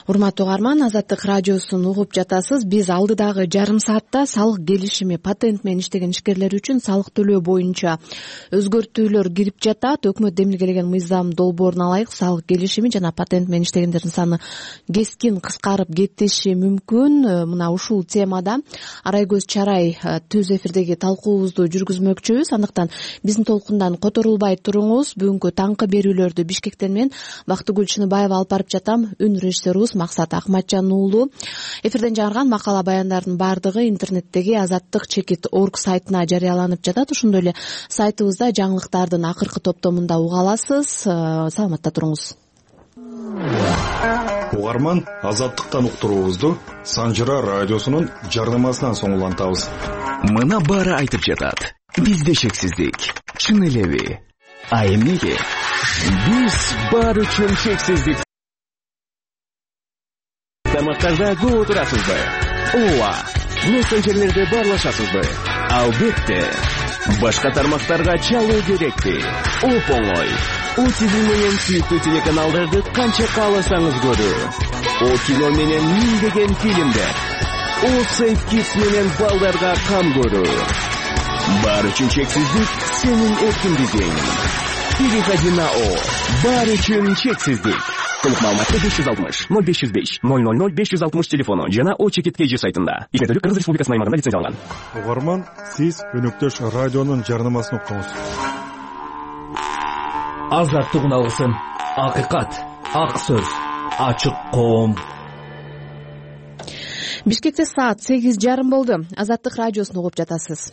Урматтуу угарман, Азаттык радиосун угуп жатасыз. Биз алдыдагы жарым саатта салык келишими, патент менен иштеген ишкерлер үчүн салык төлөө боюнча өзгөртүүлөр кирип жатат. Өкмөт демилгелеген мыйзам долбооруна ылайык салык келишими жана патент менен иштегендердин саны кескин кыскарып кетиши мүмкүн. Мына ушул темада Арайкөз Чарай түз эфирдеги талкуубузду жүргүзмөкчүбүз. Андыктан биздин толкундан которулбай туруңуз. Бүгүнкү таңкы берүүлөрдү Бишкектен мен Бактыгүл Чыныбаева алып барып жатам. Үн режиссерубуз Максат Акматжан уулу. Эфирден жарган макала баяндардын бардыгы интернеттеги азаттык чекит точка орг сайтына жарыяланып жатат. Ошондой эле сайтыбызда жаңылыктардын акыркы топтомунда уга аласыз. Саламатта туруңуз. Угарман, Азаттыктан уктуруубузду Санжыра радиосунун жарнамасынан соң улантабыз. Мына баары айтып жатат. Бизде чексиздик. Чын элеби? А эмнеге? Биз баары үчүн чексиздик. Тамактарда көп отурасызбы? Ооба. Мессенджерлерде баарлашасызбы? Албетте. Башка тармактарга чалуу керекпи? Оп-оңой. О ти ви менен сүйүктүү телеканалдарды канча кааласаңыз көрүү. О кино менен миңдеген фильмдер. О Сейф Kids менен балдарга кам көрүү. Баары үчүн чексиздик сенин эркиндигиң. Переходи на О. Баары үчүн чексиздик. толук маалыматты беш жүз алтымыш ноль беш жүз беш ноль ноль ноль беш жүз алтымыш телефону жана о чекит kg сайтында. Ишмердүүлүк Кыргыз Республикасынын аймагында лицензияланган. Угарман, сиз өнөктөш радионун жарнамасын укуңуз. Азаттык алгысын, акыйкат, ак сөз, ачык коом. Бишкекте саат сегиз жарым болду. Азаттык радиосун угуп жатасыз.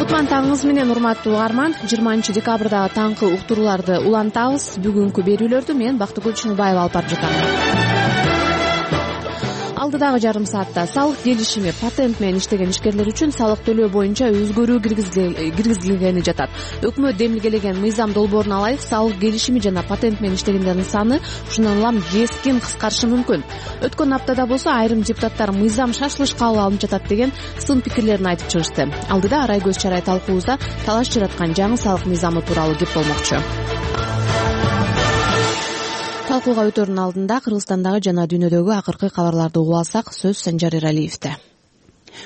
Кутман таңыңыз менен урматтуу угарман. жыйырманчы декабрдагы таңкы уктурууларды улантабыз. Бүгүнкү берүүлөрдү мен Бактыгүл Чыныбаева алып барып жатам. Алдыдагы жарым саатта салык келишими патент менен иштеген ишкерлер үчүн салык төлөө боюнча өзгөрүү киргизилгени жатат. Өкмөт демилгелеген мыйзам долбоорун алайык, салык келишими жана патент менен иштегендердин саны ушундан улам кескин кыскарышы мүмкүн. Өткөн аптада болсо айрым депутаттар мыйзам шашылыш кабыл алынып жатат деген сын пикирлерин айтып чыгышты. Алдыда арай көз чарай талкуубузда талаш жараткан жаңы салык мыйзамы тууралуу кеп болмокчу. Талкууга өтөрүнүн алдында Кыргызстандагы жана дүйнөдөгү акыркы кабарларды угуп алсак, сөз Санжар Эралиевде.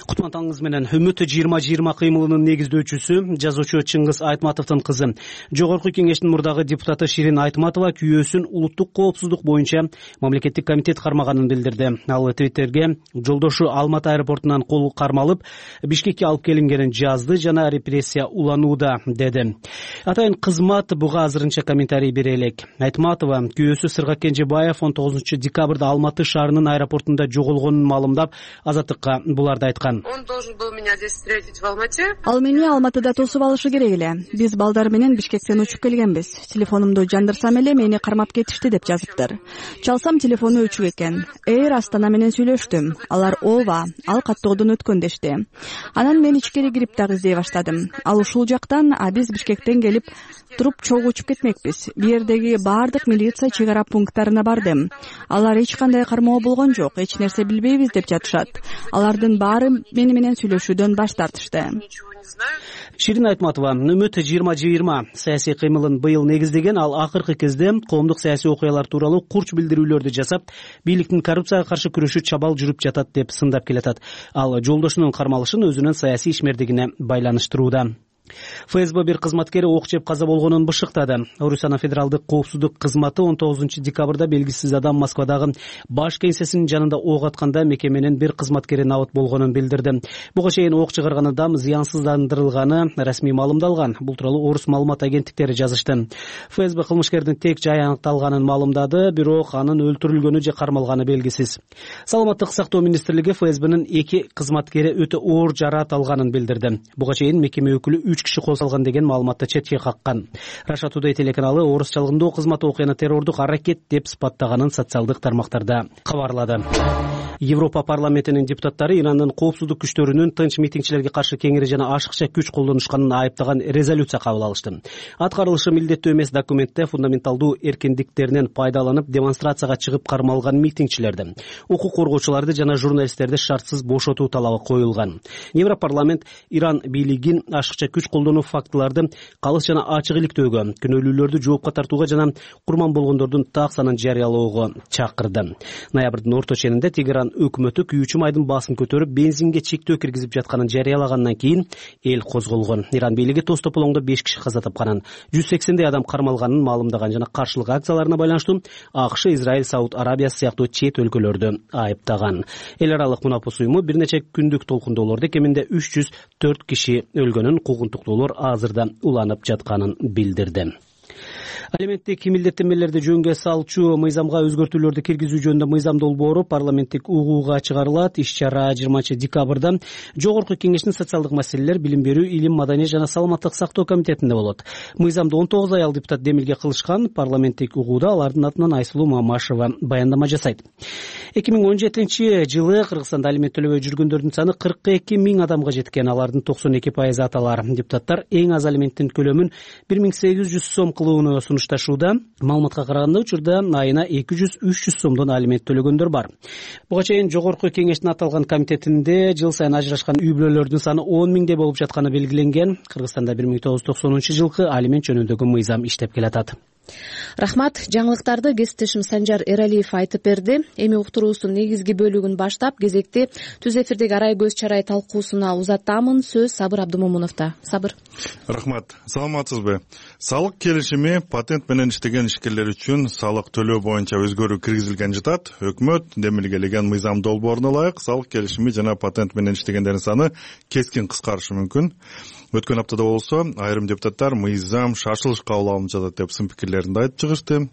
Кутман таңыңыз менен. Үмүт жыйырма жыйырма кыймылынын негиздөөчүсү, жазуучу Чыңгыз Айтматовдун кызы, Жогорку Кеңештин мурдагы депутаты Ширин Айтматова күйөөсүн улуттук коопсуздук боюнча мамлекеттик комитет кармаганын билдирди. Ал Твиттерге жолдошу Алматы аэропортунан кол кармалып, Бишкекке алып келингенин жазды жана репрессия уланууда деди. Атайын кызмат буга азырынча комментарий бере элек. Айтматова күйөөсү Сыргак Кенжебаев он тогузунчу декабрда Алматы шаарынын аэропортунда жоголгонун маалымдап, Азаттыкка буларды айткан. Он должен был меня здесь встретить в Алмате. Ал мени Алматыда тосуп алышы керек эле. Биз балдар менен Бишкектен учуп келгенбиз. Телефонумду жандырсам эле мени кармап кетишти деп жазыптыр. Чалсам телефону өчүк экен. Эйр Астана менен сүйлөштүм. Алар ооба, ал каттоодон өткөн дешти. Анан мен ичкери кирип дагы издей баштадым. Ал ушул жактан, а биз Бишкектен келип туруп чогуу учуп кетмекпиз. Бу жердеги баардык милиция чек ара пункттарына бардым. Алар эч кандай кармоо болгон жок, эч нерсе билбейбиз деп жатышат. Алардын баары мени менен сүйлөшүүдөн баш тартышты. Ширин Айтматова Үмүт жыйырма жыйырма саясий кыймылын быйыл негиздеген. Ал акыркы кезде коомдук саясий окуялар тууралуу курч билдирүүлөрдү жасап, бийликтин коррупцияга каршы күрөшү чабал жүрүп жатат деп сындап келатат. Ал жолдошунун кармалышын өзүнүн саясий ишмердигине байланыштырууда. ФСБ бир кызматкери ок жеп каза болгонун бышыктады. Орусияна федералдык коопсуздук кызматы он тогузунчу декабрда белгисиз адам Москвадагы баш кеңсесинин жанында ок атканда мекеменин бир кызматкери набыт болгонун билдирди. Буга чейин ок чыгарган адам зыянсыздандырылганы расмий маалымдалган. Бул тууралуу орус маалымат агенттиктери жазышты. ФСБ кылмышкердин тек жай аныкталганын маалымдады, бирок анын өлтүрүлгөнү же кармалганы белгисиз. Саламаттык сактоо министрлиги ФСБнин эки кызматкери өтө оор жараат алганын билдирди. Буга чейин мекеме өкүлү үч киши кол салган деген маалыматты четке каккан. Russia Today телеканалы орус чалгындоо кызматы окуяны террордук аракет деп сыпаттаганын социалдык тармактарда кабарлады. Европа парламентинин депутаттары Ирандын коопсуздук күчтөрүнүн тынч митингчилерге каршы кеңири жана ашыкча күч колдонушканын айыптаган резолюция кабыл алышты. Аткарылышы милдеттүү эмес документте фундаменталдуу эркиндиктеринен пайдаланып демонстрацияга чыгып кармалган митингчилерди, укук коргоочуларды жана журналисттерди шартсыз бошотуу талабы коюлган. Европарламент Иран бийлигин ашыкча күч колдонуу фактыларды калыс жана ачык иликтөөгө, күнөөлүүлөрдү жоопко тартууга жана курман болгондордун так санын жарыялоого чакырды. Ноябрдын орто ченинде Тегеран өкмөтү күйүүчү майдын баасын көтөрүп бензинге чектөө киргизип жатканын жарыялагандан кийин эл козголгон. Иран бийлиги тоз тополоңдо беш киши каза тапканын, жүз сексендей адам кармалганын маалымдаган жана каршылык акцияларына байланыштуу АКШ, Израиль, Сауд Арабиясы сыяктуу чет өлкөлөрдү айыптаган. Эл аралык мунапус уюму бир нече күндүк толкундоолордо кеминде үч жүз төрт киши өлгөнүн, куугунтуктуулар азырда уланып жатканын билдирди. Алименттик милдеттенмелерди жөнгө салчу мыйзамга өзгөртүүлөрдү киргизүү жөнүндө мыйзам долбоору парламенттик угууга чыгарылат. Иш-чара жыйырманчы декабрда Жогорку Кеңештин социалдык маселелер, билим берүү, илим, маданий жана саламаттык сактоо комитетинде болот. Мыйзамды он тогуз аял депутат демилге кылышкан. Парламенттик угууда алардын атынан Айсулуу Мамашева баяндама жасайт. эки миң он жетинчи жылы Кыргызстанда алимент төлөбөй жүргөндөрдүн саны кырк эки миң адамга жеткен. Алардын токсон эки пайызы аталар. Депутаттар эң аз алименттин көлөмүн бир миң сегиз жүз сом кылууну сунушташууда. Маалыматка караганда учурда айына эки жүз үч жүз сомдон алимент төлөгөндөр бар. Буга чейин Жогорку Кеңештин аталган комитетинде жыл сайын ажырашкан үй бүлөлөрдүн саны он миңдей болуп жатканы белгиленген. Кыргызстанда бир миң тогуз жүз токсонунчу жылкы алимент жөнүндөгү мыйзам иштеп келатат. Рахмат. Жаңылыктарды кесиптешим Санжар Эралиев айтып берди. Эми уктуруубуздун негизги бөлүгүн баштап кезекти түз эфирдеги арай көз чарай талкуусуна узатамын. Сөз Сабыр Абдымомуновдо. Сабыр. Рахмат. Саламатсызбы? Салык келишими патент менен иштеген ишкерлер үчүн салык төлөө боюнча өзгөрүү киргизилген жатат. Өкмөт демилгелеген мыйзам долбооруна ылайык салык келишими жана патент менен иштегендердин саны кескин кыскарышы мүмкүн. Өткөн аптада болсо айрым депутаттар мыйзам шашылыш кабыл алынып жатат деп сын пикирлеринди айтып чыгышты.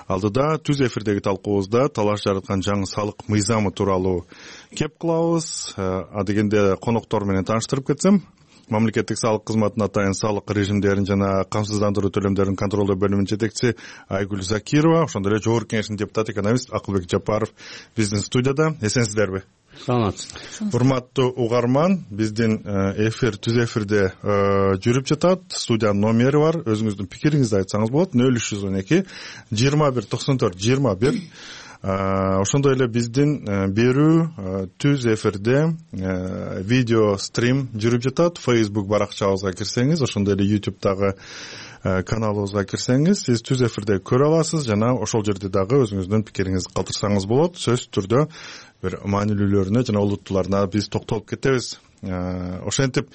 Алдыда түз эфирдеги талкуубузда талаш жараткан жаңы салык мыйзамы тууралуу кеп кылабыз. А дегенде коноктор менен тааныштырып кетсем, мамлекеттик салык кызматынын атайын салык режимдерин жана камсыздандыруу төлөмдөрүн контролдоо бөлүмүнүн жетекчиси Айгүл Закирова, ошондой эле жогорку кеңештин депутаты экономист Акылбек Жапаров биздин студияда. Эсенсиздерби? Саламатсызбы. Урматтуу угарман, биздин эфир түз эфирде жүрүп жатат. Студиянын номери бар. Өзүңүздүн пикириңизди айтсаңыз болот. нөл үч жүз он эки жыйырма бир токсон төрт жыйырма бир. Ошондой эле биздин берүү түз эфирде видео стрим жүрүп жатат. Facebook баракчабызга кирсеңиз, ошондой эле YouTube'дагы каналыбызга кирсеңиз, сиз түз эфирде көрө аласыз жана ошол жерде дагы өзүңүздүн пикириңизди калтырсаңыз болот. Сөзсүз түрдө бир маанилүүлөрүнө жана олуттууларына биз токтолуп кетебиз. Ошентип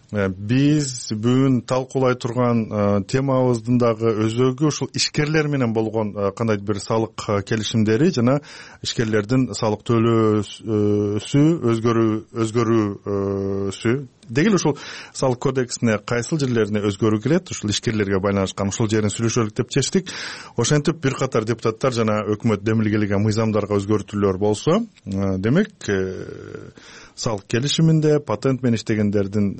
биз бүгүн талкуулай турган темабыздын дагы өзөгү ушул ишкерлер менен болгон кандайдыр бир салык келишимдери жана ишкерлердин салык төлөөсү өзгөрүү өзгөрүүсү. Деги эле ушул салык кодексине кайсыл жерлерине өзгөрүү кирет, ушул ишкерлерге байланышкан ушул жерин сүйлөшөлүк деп чечтик. Ошентип бир катар депутаттар жана өкмөт демилгелеген мыйзамдарга өзгөртүүлөр болсо, демек салык келишиминде патент менен иштегендердин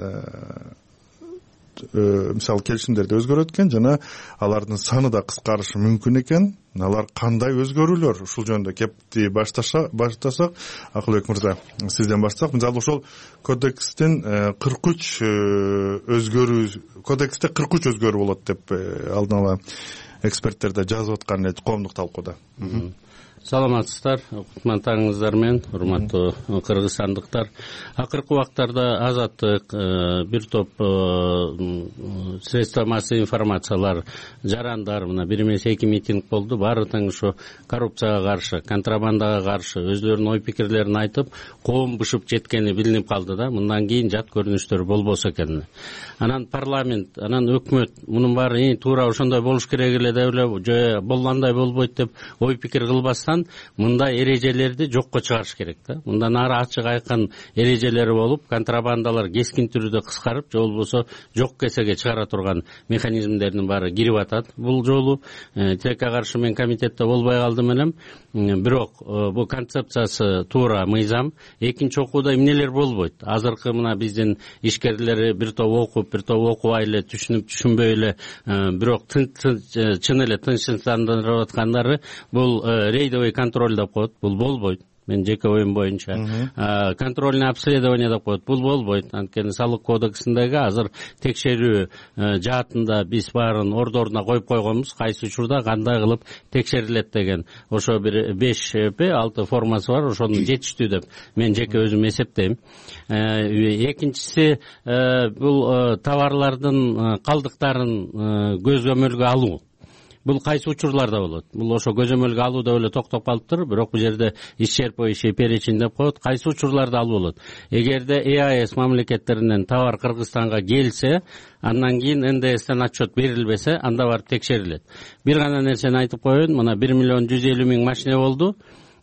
мисалы келишимдерди өзгөрөт экен жана алардын саны да кыскарышы мүмкүн экен. Алар кандай өзгөрүүлөр? Ушул жөнүндө кепти баштасак, Акылбек мырза, сизден баштасак. Мисалы ошол кодекстин кырк үч өзгөрүү, кодексте кырк үч өзгөрүү болот деп алдын ала эксперттер да жазып аткан эле коомдук талкууда. Саламатсыздар, кутмандтарыңыздар менен, урматтуу кыргызстандыктар. Акыркы убактарда Азаттык, бир топ средства массовой информациялар, жарандар, мына бир эмес эки митинг болду. Баары тең ушу коррупцияга каршы, контрабандага каршы өздөрүнүн ой пикирлерин айтып, коом бышып жеткени билинип калды да. Мындан кийин жат көрүнүштөр болбосо экен. Анан парламент, анан өкмөт мунун баары туура ошондой болуш керек эле деп эле, же болгондой болбойт деп ой пикир кылбастан мындай эрежелерди жокко чыгарыш керек да. Мындан ары ачык айкын эрежелери болуп, контрабандалар кескин түрдө кыскарып, же болбосо жок кесеге чыгара турган механизмдердин баары кирип атат. Бул жолу тилекке каршы мен комитетте болбой калдым элем. Бирок бул концепциясы туура мыйзам. Экинчи окууда эмнелер болбойт? Азыркы мына биздин ишкерлери бир топ окуп, бир топ окубай эле, түшүнүп, түшүнбөй эле, бирок чын эле тынчсыздандырып аткандары бул рейдовый контроль деп коет. Бул болбойт. Мен жеке оюм боюнча контрольный обследование деп коет. Бул болбойт. Анткени салык кодексиндеги азыр текшерүү жаатында биз баарын ордоруна коюп койгонбуз. Кайсы учурда кандай кылып текшерилет деген. Ошо бир беш алты формасы бар. Ошону жетиштүү деп мен жеке өзүм эсептейм. Экинчиси бул товарлардын калдыктарын көзөмөлгө алуу. Бул кайсы учурларда болот? Бул ошо көзөмөлгө алууда эле токтоп калыптыр, бирок бул жерде исчерпывающий перечень деп коет. Кайсы учурларда алуу болот? Эгерде Э А Эс мамлекеттеринен товар Кыргызстанга келсе, андан кийин Н Д Стен отчет берилбесе, анда барып текшерилет. Бир гана нерсени айтып коеюн, мына бир миллион жүз элүү миң машина болду.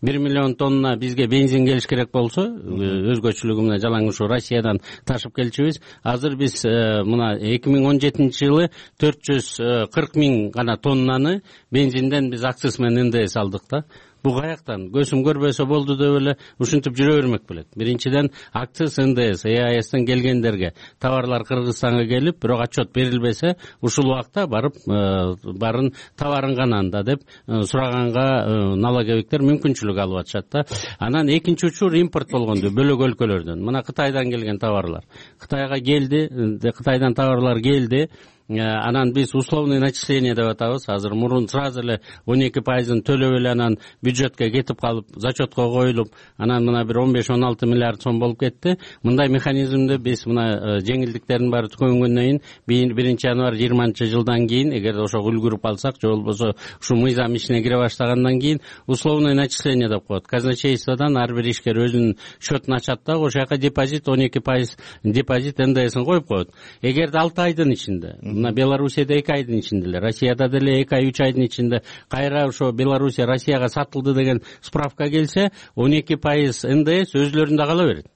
бир миллион тонна бизге бензин келиш керек болсо, өзгөчөлүгү мына жалаң ушу Россиядан ташып келчүбүз. Азыр биз мына эки миң он жетинчи жылы төрт жүз кырк миң гана тоннаны бензинден биз акциз менен Н Д С алдык да. Бул каяктан? Көзүм көрбөсө болду деп эле ушинтип жүрө бермек белек. Биринчиден акциз Н Д С, Э А Эстен келгендерге товарлар Кыргызстанга келип, бирок отчет берилбесе, ушул убакта барып барын товарын гана анда деп сураганга налоговиктер мүмкүнчүлүк алып атышат да. Анан экинчи учур импорт болгонду бөлөк өлкөлөрдөн. Мына Кытайдан келген товарлар. Кытайга келди, Кытайдан товарлар келди. анан биз условный начисление деп атабыз. Азыр мурун сразу эле он эки пайызын төлөп эле анан бюджетке кетип калып, зачетко коюлуп, анан мына бир он беш он алты миллиард сом болуп кетти. Мындай механизмди биз мына жеңилдиктердин баары түгөнгөндөн кийин биринчи январь жыйырманчы жылдан кийин, эгер ошо үлгүрүп алсак, же болбосо ушу мыйзам ишине кире баштагандан кийин условный начисление деп коет. Казначействодан ар бир ишкер өзүнүн счетун ачат да, ошол жака депозит он эки пайыз депозит эн дэ эсин коюп коет. Эгерде алты айдын ичинде, мына Белоруссияда эки айдын ичинде эле, Россияда деле эки ай үч айдын ичинде кайра ошо Белоруссия Россияга сатылды деген справка келсе, он эки пайыз эн дэ эс өзлөрүндө кала берет.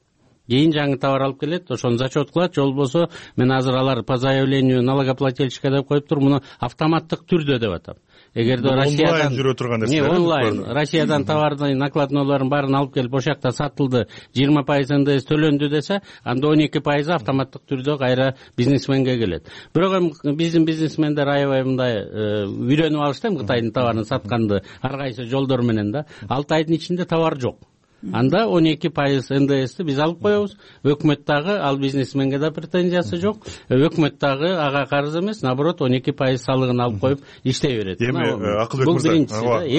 Кийин жаңы товар алып келет, ошону зачет кылат, же болбосо мен азыр алар по заявлению налогоплательщика деп коюп тур, муну автоматтык түрдө деп атам. Эгерде Россиядан онлайн жүрө турган нерсе, онлайн Россиядан товардын накладнолорун баарын алып келип ошол жакта сатылды, жыйырма пайыз эн дэ эс төлөндү десе, анда он эки пайызы автоматтык түрдө кайра бизнесменге келет. Бирок эми биздин бизнесмендер аябай мындай үйрөнүп алышты эми Кытайдын товарын сатканды ар кайсы жолдор менен да. алты айдын ичинде товар жок. Анда он эки пайыз эн дэ эсти биз алып коебуз. Өкмөт дагы ал бизнесменге да претензиясы жок. Өкмөт дагы ага карыз эмес, наоборот он эки пайыз салыгын алып коюп иштей берет. Эми Акылбек мырза,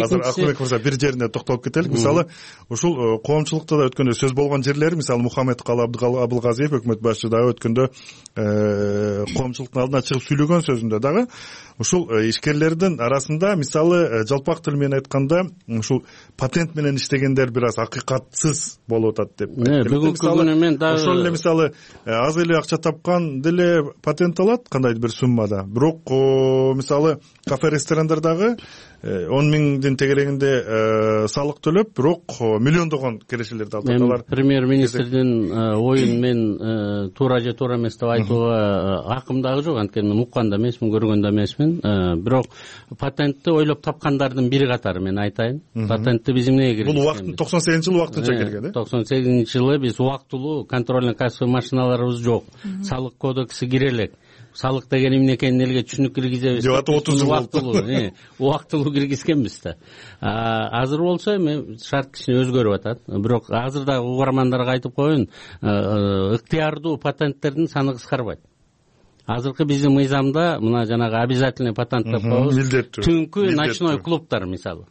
азыр Акылбек мырза бир жерине токтолуп кетелик. Мисалы, ушул коомчулукта да өткөндө сөз болгон жерлери, мисалы Мухаммед Калы Абылгазиев өкмөт башчысы дагы өткөндө коомчулуктун алдына чыгып сүйлөгөн сөзүндө дагы ушул ишкерлердин арасында, мисалы жалпак тил менен айтканда, ушул патент менен иштегендер бир аз акыйкатсыз болуп атат деп. Бүгүнкү күнү мен дагы ошол эле мисалы аз эле акча тапкан деле патент алат кандайдыр бир суммада. Бирок мисалы кафе ресторандардагы он миңдин тегерегинде салык төлөп, бирок миллиондогон кирешелерди алып аталар. Премьер министрдин оюн мен туура же туура эмес деп айтууга акым дагы жок, анткени мен уккан да эмесмин, көргөн да эмесмин. Бирок патентти ойлоп тапкандардын бири катары мен айтайын. Патентти биз эмнеге киргизген? Бул убакыт токсон сегизинчи жылы убактынча келген, э? токсон сегизинчи жылы биз убактылуу контрольно кассовый машиналарыбыз жок. Салык кодекси кире элек. Салык деген эмне экенин элге түшүнүк киргизебиз. Жок, отуз жыл болду. Убактылуу киргизгенбиз да. Азыр болсо эми шарт кичине өзгөрүп атат. Бирок азыр да угармандарга айтып коеюн, ыктыярдуу патенттердин саны кыскарбайт. Азыркы биздин мыйзамда мына жанагы обязательный патент деп коебуз. Түнкү ночной клубтар мисалы.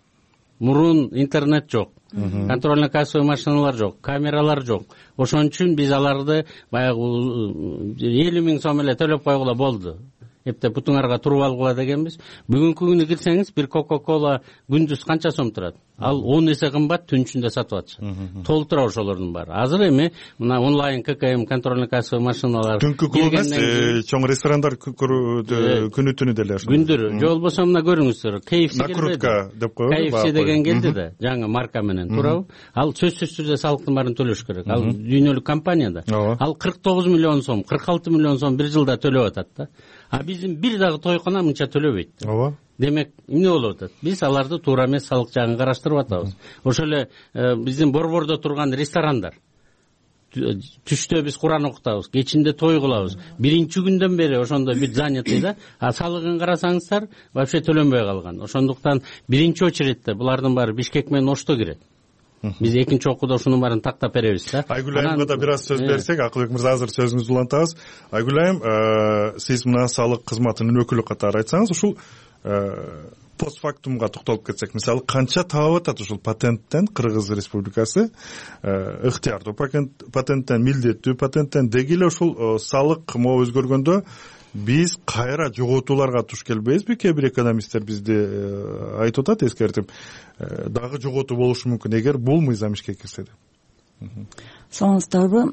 Мурун интернет жок, контрольно кассовый машиналар жок, камералар жок. Ошон үчүн биз аларды баягы элүү миң сом эле төлөп койгула болду. Эптеп бутуңарга туруп алгыла дегенбиз. Бүгүнкү күнү кирсеңиз бир Coca-Cola күндүз канча сом турат? Ал он эсе кымбат түн ичинде сатып атышат. Толтура ошолордун баары. Азыр эми мына онлайн ка ка эм контрольно кассовый машиналар түнкү клуб эмес, чоң ресторандар күнү түнү деле ошо. Күндүрү. Же болбосо мына көрүңүздөр, кей эф си накрутка деп коебуз. кей эф си деген келди да, жаңы марка менен, туурабы? Ал сөзсүз түрдө салыктын баарын төлөш керек. Ал дүйнөлүк компания да. Ал кырк тогуз миллион сом, кырк алты миллион сом бир жылда төлөп атат да. А биздин бир дагы тойкона мынча төлөбөйт. Ооба. Демек, эмне болуп атат? Биз аларды туура эмес салык жагын караштырып атабыз. Ошол эле биздин борбордо турган ресторандар. Түштө биз Куран окутабыз, кечинде той кылабыз. Биринчи күндөн бери ошондо бир занятый да. А салыгын карасаңыздар, вообще төлөнбөй калган. Ошондуктан биринчи очередте булардын баары Бишкек менен Ошто кирет. Биз экинчи окууда ушунун баарын тактап беребиз да. Айгүл айымга да бир аз сөз берсек, Акылбек мырза азыр сөзүңүздү улантабыз. Айгүл айым, сиз мына салык кызматынын өкүлү катары айтсаңыз, ушул постфактумга токтолуп кетсек, мисалы канча табап атат ушул патенттен Кыргыз Республикасы, ыктыярдуу патенттен, милдеттүү патенттен, деги эле ушул салык могу өзгөргөндө биз кайра жоготууларга туш келбейбизби? Кээ бир экономисттер бизди айтып атат, эскертип, дагы жоготуу болушу мүмкүн эгер бул мыйзам ишке кирсе деп. Саламатсыздарбы,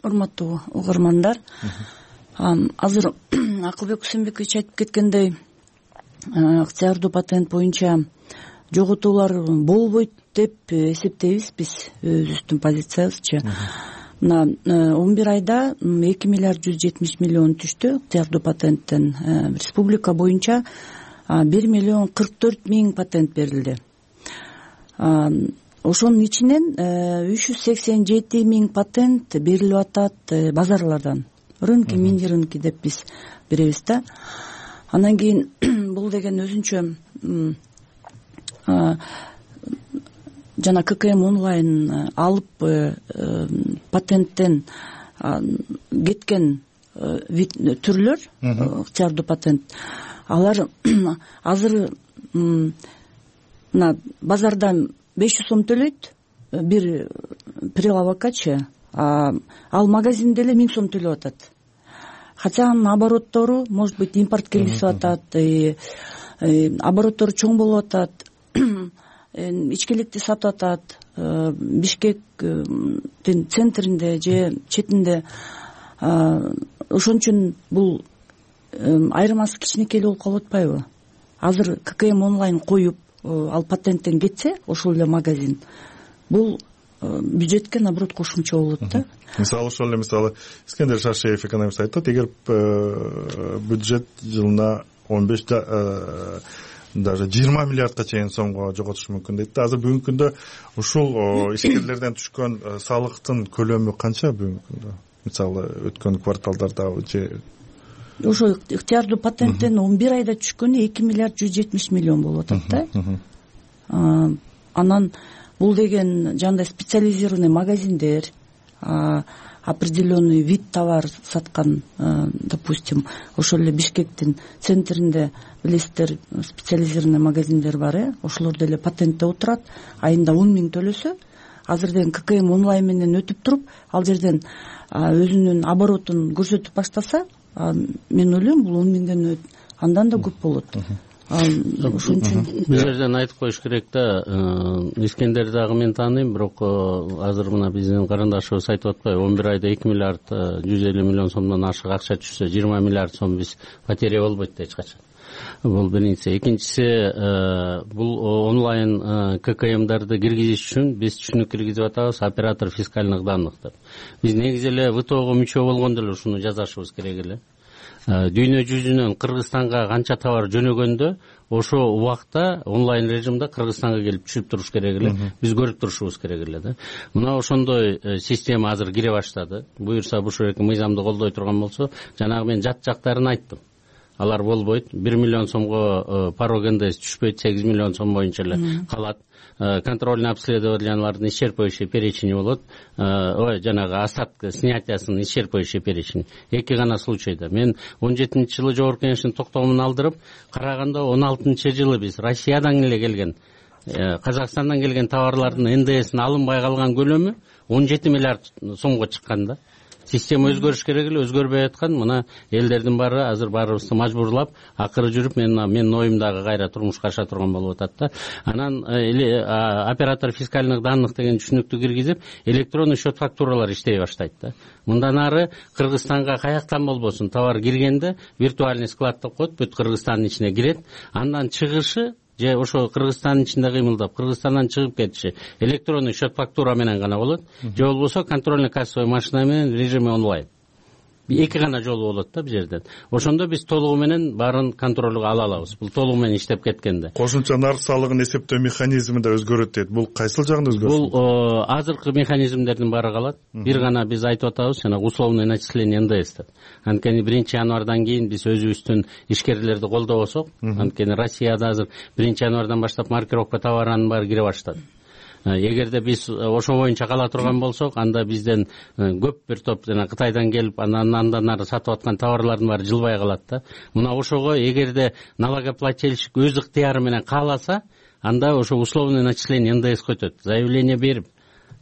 урматтуу угармандар? Азыр Акылбек Усенбекович айтып кеткендей, ыктыярдуу патент боюнча жоготуулар болбойт деп эсептейбиз биз, өзүбүздүн позициябызчы. Мына он бир айда эки миллиард жүз жетимиш миллион түштү ыктыярдуу патенттен. Республика боюнча бир миллион кырк төрт миң патент берилди. Ошонун ичинен үч жүз сексен жети миң патент берилип атат базарлардан. Рынки, мини рынки деп биз беребиз да. Андан кийин бул деген өзүнчө жана ка ка эм онлайн алып патенттен кеткен вид түрлөр, ыктыярдуу патент, алар азыр мына базарда беш жүз сом төлөйт бир прилавокачы, ал магазинде эле миң сом төлөп атат. Хотя анын обороттору, может быть, импорт киргизип атат, обороттору чоң болуп атат, ичкиликти сатып атат, Бишкектин центринде же четинде. Ошон үчүн бул айырмасы кичинекей болуп калып атпайбы? Азыр ККМ онлайн коюп, ал патенттен кетсе, ошол эле магазин, бул бюджетке наоборот кошумча болот да. Мисалы ошол эле мисалы Искендер Шаршеев экономист айтат, эгер бюджет жылына он беш даже жыйырма миллиардка чейин сомго жоготуш мүмкүн дейт да. Азыр бүгүнкү күндө ушул ишкерлерден түшкөн салыктын көлөмү канча бүгүнкү күндө? Мисалы өткөн кварталдардагы же ошо ыктыярдуу патенттен он бир айда түшкөнү эки миллиард жүз жетимиш миллион болуп атат да. Анан бул деген жандай специализированный магазиндер, определенный вид товар саткан, допустим, ошол эле Бишкектин центринде билесиздер, специализированный магазиндер бар, э, ошолор деле патентте отурат, айында он миң төлөсө, азыр деген ККМ онлайн менен өтүп туруп, ал жерден өзүнүн оборотун көрсөтүп баштаса, мен ойлойм бул он миңден андан да көп болот. Ошон үчүн бул жерден айтып коюш керек да, Искендер дагы мен тааныйм, бирок азыр мына биздин карындашыбыз айтып атпайбы, он бир айда эки миллиард жүз элүү миллион сомдон ашык акча түшсө, жыйырма миллиард сом биз потеря болбойт да эч качан. Бул биринчиси. Экинчиси, бул онлайн ККМдарды киргизиш үчүн биз түшүнүк киргизип атабыз, оператор фискальных данных деп. Биз негизи эле ВТОго мүчө болгондо эле ушуну жазашыбыз керек эле. Дүйнө жүзүнөн Кыргызстанга канча товар жөнөгөндө, ошо убакта онлайн режимде Кыргызстанга келип түшүп туруш керек эле. Биз көрүп турушубуз керек эле да. Мына ошондой система азыр кире баштады. Буюрса Бушуреки мыйзамды колдой турган болсо, жанагы мен жат жактарын айттым. Алар болбойт. бир миллион сомго порог НДС түшпөйт, сегиз миллион сом боюнча эле калат. Контрольный обследованиялардын исчерпывающий перечени болот. Ой, жанагы остатка снятиясынын исчерпывающий перечени. Эки гана случайда. Мен он жетинчи жылы жогорку кеңештин токтомун алдырып, караганда он алтынчы жылы биз Россиядан эле келген, Казакстандан келген товарлардын НДСин алынбай калган көлөмү он жети миллиард сомго чыккан да. Система өзгөрүш керек эле, өзгөрбөй аткан. Мына элдердин баары азыр баарыбызды мажбурлап, акыры жүрүп мен менин оюмдагы кайра турмушка аша турган болуп атат да. Анан оператор фискальных данных деген түшүнүктү киргизип, электронный счет фактуралар иштей баштайт да. Мындан ары Кыргызстанга каяктан болбосун товар киргенде виртуальный склад деп коет, бүт Кыргызстандын ичине кирет. Андан чыгышы же ошо Кыргызстандын ичинде кыймылдап, Кыргызстандан чыгып кетиши электронный счет фактура менен гана болот. Же болбосо контрольный кассовый машина менен режиме онлайн. Эки гана жолу болот да бул жерден. Ошондо биз толугу менен баарын контролго ала алабыз. Бул толугу менен иштеп кеткенде. Кошумча нарк салыгын эсептөө механизми да өзгөрөт дейт. Бул кайсыл жагында өзгөрөт? Бул азыркы механизмдердин баары калат. Бир гана биз айтып атабыз, жана условный начисление НДС деп. Анткени биринчи январдан кийин биз өзүбүздүн ишкерлерди колдобосок, анткени Россияда азыр биринчи январдан баштап маркировка товарынын баары кире баштады. Эгерде биз ошо боюнча кала турган болсок, анда бизден көп бир топ жана Кытайдан келип, анан андан ары сатып аткан товарлардын баары жылбай калат да. Мына ошого эгерде налогоплательщик өз ыктыяры менен кааласа, анда ошо условный начисление НДС көтөт. Заявление берип,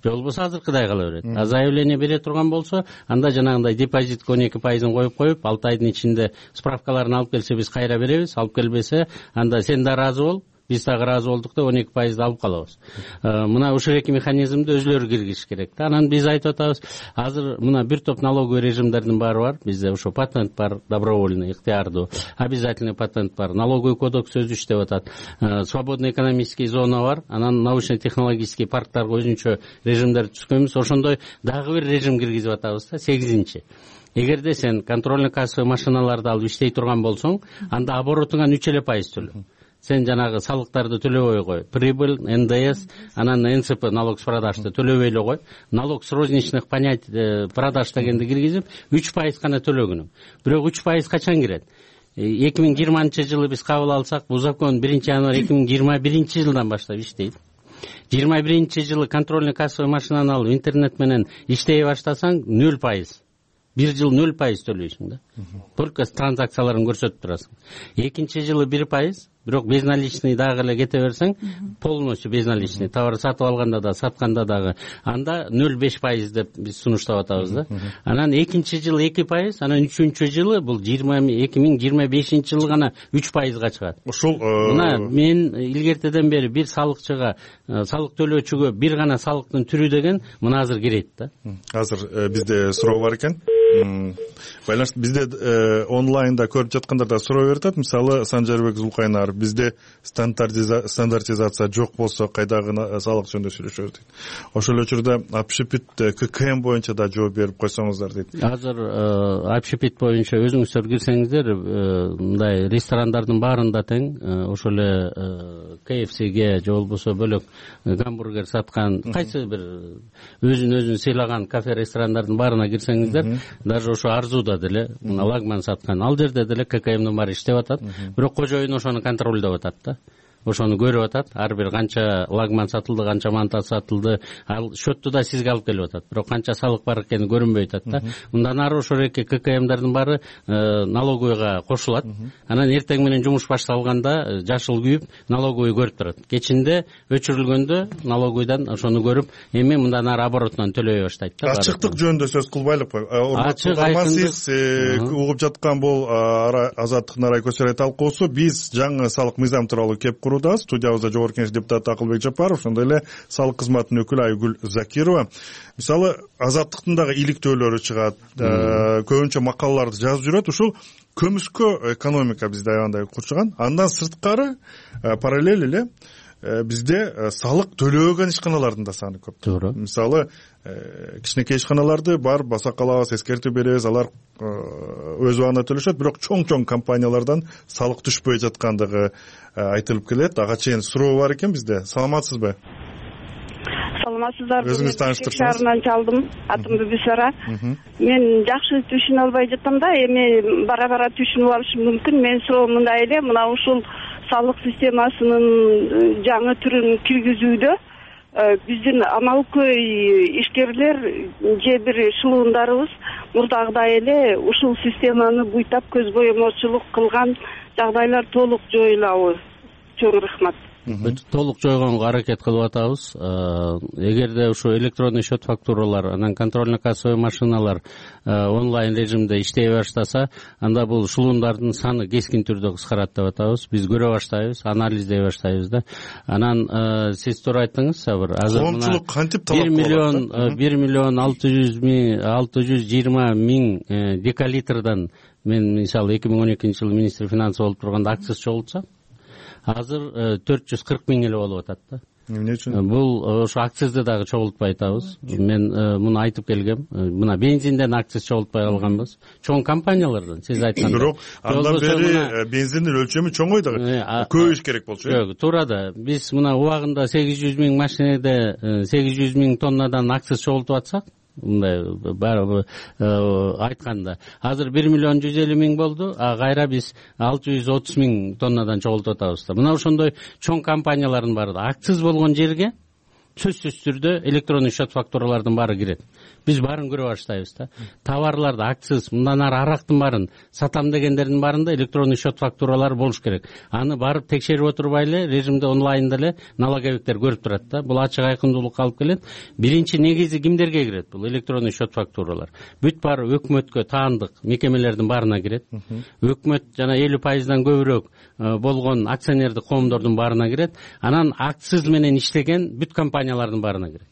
же болбосо азыркыдай кала берет. А заявление бере турган болсо, анда жанагындай депозитке он эки пайызын коюп коюп, алты айдын ичинде справкаларын алып келсе биз кайра беребиз, алып келбесе, анда сен да ыраазы бол, биз дагы ыраазы болдук деп он эки пайызды алып калабыз. Мына ушул эки механизмди өзүлөрү киргизиш керек да. Анан биз айтып атабыз, азыр мына бир топ налоговый режимдердин баары бар. Бизде ошо патент бар, добровольный, ыктыярдуу, обязательный патент бар, налоговый кодекс өзү иштеп атат, свободный экономический зона бар, анан научно-технологический парктарга өзүнчө режимдер түзгөнбүз. Ошондой дагы бир режим киргизип атабыз да, сегизинчи. Эгерде сен контрольный кассовый машиналарды алып иштей турган болсоң, анда оборотуңан үч эле пайыз төлө. Сен жанагы салыктарды төлөбөй кой. Прибыль, НДС, анан эн цэ пэ, налог с продажды төлөбөй эле кой. Налог с розничных понятий продаж дегенди киргизип, үч пайыз гана төлөгүнүң. Бирок үч пайыз качан кирет? эки миң жыйырманчы жылы биз кабыл алсак, бул закон биринчи январь эки миң жыйырма биринчи жылдан баштап иштейт. жыйырма биринчи жылы контрольный кассовый машинаны алып интернет менен иштей баштасаң нөл пайыз. бир жыл нөл пайыз төлөйсүң да, только транзакцияларын көрсөтүп турасың. Экинчи жылы бир пайыз, бирок безналичный дагы эле кете берсең, полностью безналичный товар сатып алганда да, сатканда дагы, анда нөл беш пайыз деп биз сунуштап атабыз да. Анан экинчи жылы эки пайыз, анан үчүнчү жылы бул эки миң жыйырма бешинчи жылы гана үч пайызга чыгат. Ушул мына мен илгертеден бери бир салыкчыга, салык төлөөчүгө бир гана салыктын түрү деген мына азыр кирет да. Азыр бизде суроо бар экен. Байланыш бизде онлайнда көрүп жаткандарда суроо берип атат. Мисалы Санжарбек Зулкайнар, бизде стандартизация жок болсо кайдагы салык жөнүндө сүйлөшөбүз дейт. Ошол эле учурда общепит ККМ боюнча да жооп берип койсоңуздар дейт. Азыр общепит боюнча өзүңүздөр кирсеңиздер, мындай ресторандардын баарында тең, ошол эле КФСге же болбосо бөлөк гамбургер саткан, кайсы бир өзүн өзүн сыйлаган кафе ресторандардын баарына кирсеңиздер, даже ошо Арзуда деле лагман саткан, ал жерде деле ККМдин баары иштеп атат, бирок кожоюн ошону контролдоп атат да. Ошону көрүп атат, ар бир канча лагман сатылды, канча манта сатылды, ал счетту да сизге алып келип атат, бирок канча салык бар экени көрүнбөй атат да. Мындан ары ошол эки ККМдардын баары налоговыйга кошулат. Анан эртең менен жумуш башталганда жашыл күйүп налоговый көрүп турат. Кечинде өчүрүлгөндө налоговыйдан ошону көрүп, эми мындан ары оборотунан төлөй баштайт да. Ачыктык жөнүндө сөз кылбайлыкпы? Ачык айкындык. Сиз угуп жаткан бул Азаттыктын арай көчөрөй талкуусу. Биз жаңы салык мыйзам тууралуу кеп студиябызда жогорку кеңеш депутаты Акылбек Жапаров, ошондой эле салык кызматынын өкүлү Айгүл Закирова. Мисалы Азаттыктын дагы иликтөөлөрү чыгат, көбүнчө макалаларды жазып жүрөт. Ушул көмүскө экономика бизде аябандай курчаган. Андан сырткары параллель эле бизде салык төлөбөгөн ишканалардын да саны көп. Туура. Мисалы кичинекей ишканаларды бар баса калабыз, эскертүү беребиз, алар өз убагында төлөшөт, бирок чоң-чоң компаниялардан салык түшпөй жаткандыгы айтылып келет. Ага чейин суроо бар экен бизде. Саламатсызбы? Саламатсыздарбы? Өзүңүз тааныштырсаңыз. Шаарынан чалдым. Атым Бүбүсара. Мен жакшы түшүнө албай жатам да, эми бара-бара түшүнүп алышым мүмкүн. Мен суроом мындай эле, мына ушул салык системасынын жаңы түрүн киргизүүдө биздин амалкөй ишкерлер же бир шылуундарыбыз мурдагыдай эле ушул системаны буйтап көз боемочулук кылган жагдайлар толук жоюлабы? Чоң рахмат. Толук жойгонго аракет кылып атабыз. Эгерде ушу электронный счет фактуралар, анан контрольно-кассовый машиналар онлайн режимде иштей баштаса, анда бул шылуундардын саны кескин түрдө кыскарат деп атабыз. Биз көрө баштайбыз, анализдей баштайбыз да. Анан сиз туура айттыңыз, Сабыр. Азыр коомчулук кантип талап кылат? бир миллион бир миллион алты жүз миң алты жүз жыйырма миң декалитрдан мен мисалы эки миң он экинчи жылы министр финансов болуп турганда акциз чогултсам, азыр төрт жүз кырк миң эле болуп атат да. Эмне үчүн? Бул ошо акцизди дагы чогултпай атабыз. Мен муну айтып келгем. Мына бензинден акциз чогултпай калганбыз. Чоң компаниялардан сиз айткандай. Бирок андан бери бензиндин өлчөмү чоңойду. Көп иш керек болчу. Жок, туура да. Биз мына убагында сегиз жүз миң машинеде сегиз жүз миң тоннадан акциз чогултуп атсак, мындай баары айтканда азыр бир миллион жүз элүү миң болду, а кайра биз алты жүз отуз миң тоннадан чогултуп атабыз да. Мына ошондой чоң компаниялардын баары да акциз болгон жерге сөзсүз түрдө электронный счет фактуралардын баары кирет. Биз баарын көрө баштайбыз да. Товарларды акциз, мындан ары арактын баарын сатам дегендердин баарында электронный счет фактуралары болуш керек. Аны барып текшерип отурбай эле режимде онлайнда эле налоговиктер көрүп турат да. Бул ачык айкындуулукка алып келет. Биринчи негизи кимдерге кирет бул электронный счет фактуралар? Бүт баары өкмөткө таандык мекемелердин баарына кирет. Өкмөт жана элүү пайыздан көбүрөөк болгон акционердик коомдордун баарына кирет. Анан акциз менен иштеген бүт компаниялардын баарына кирет.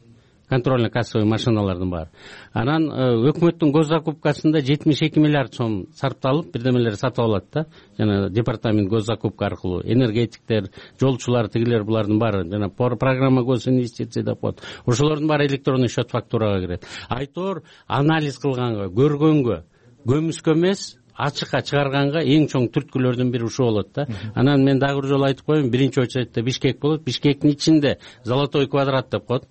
Контрольно-кассовый машиналардын баары. Анан өкмөттүн госзакупкасында жетимиш эки миллиард сом сарпталып, бирдемелер сатып алат да. Жана департамент госзакупка аркылуу энергетиктер, жолчулар, тигилер булардын баары жана программа госинвестиций деп коет. Ошолордун баары электронный счет фактурага кирет. Айтор анализ кылганга, көргөнгө, көмүскө эмес, ачыкка чыгарганга эң чоң түрткүлөрдүн бири ушул болот да. Анан мен дагы бир жолу айтып коеюн, биринчи очередте Бишкек болот. Бишкектин ичинде Золотой квадрат деп коет.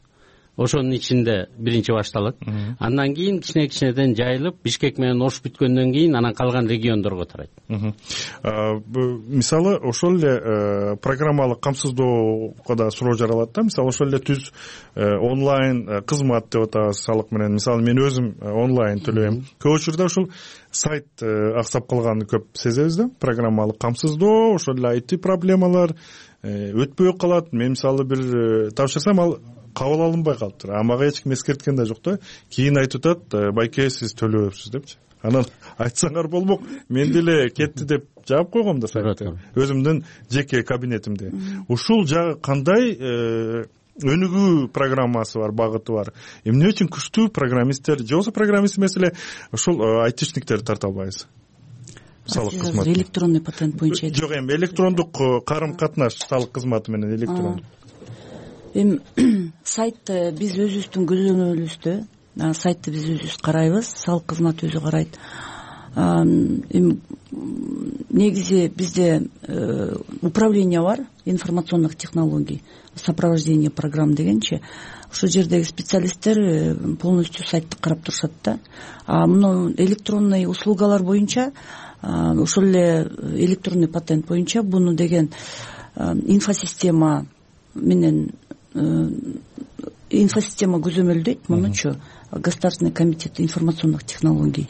ошонун ичинде биринчи башталат. Андан кийин кичине кичинеден жайылып Бишкек менен Ош бүткөндөн кийин анан калган региондорго тарайт. Мисалы ошол эле программалык камсыздоого да суроо жаралат да. Мисалы ошол эле түз онлайн кызмат деп атабыз салык менен. Мисалы мен өзүм онлайн төлөйм. Көп учурда ушул сайт аксап калганын көп сезебиз да. Программалык камсыздоо, ошол эле ай ти проблемалар өтпөй калат. Мен мисалы бир тапшырсам ал кабыл алынбай калыптыр. А мага эч ким эскерткен да жок да. Кийин айтып атат, байке сиз төлөбөпсүз депчи. Анан айтсаңар болмок, мен деле кетти деп жаап койгом да сайтты. Өзүмдүн жеке кабинетимде. Ушул жагы кандай өнүгүү программасы бар, багыты бар. Эмне үчүн күчтүү программисттер, же болбосо программист эмес эле ушул айтишниктерди тарта албайбыз? Салык кызматы. Электронный патент боюнча. Жок, эми электрондук карым-катнаш салык кызматы менен электрондук. Эми сайт биз өзүбүздүн көзөмөлүбүздө, сайтты биз өзүбүз карайбыз, салык кызматы өзү карайт. Эми негизи бизде управление бар, информационных технологий, сопровождение программ дегенчи. Ошол жердеги специалисттер полностью сайтты карап турушат да. А мына электронный услугалар боюнча, ошол эле электронный патент боюнча буну деген инфосистема менен инфосистема көзөмөлдөйт, мунучу Государственный комитет информационных технологий.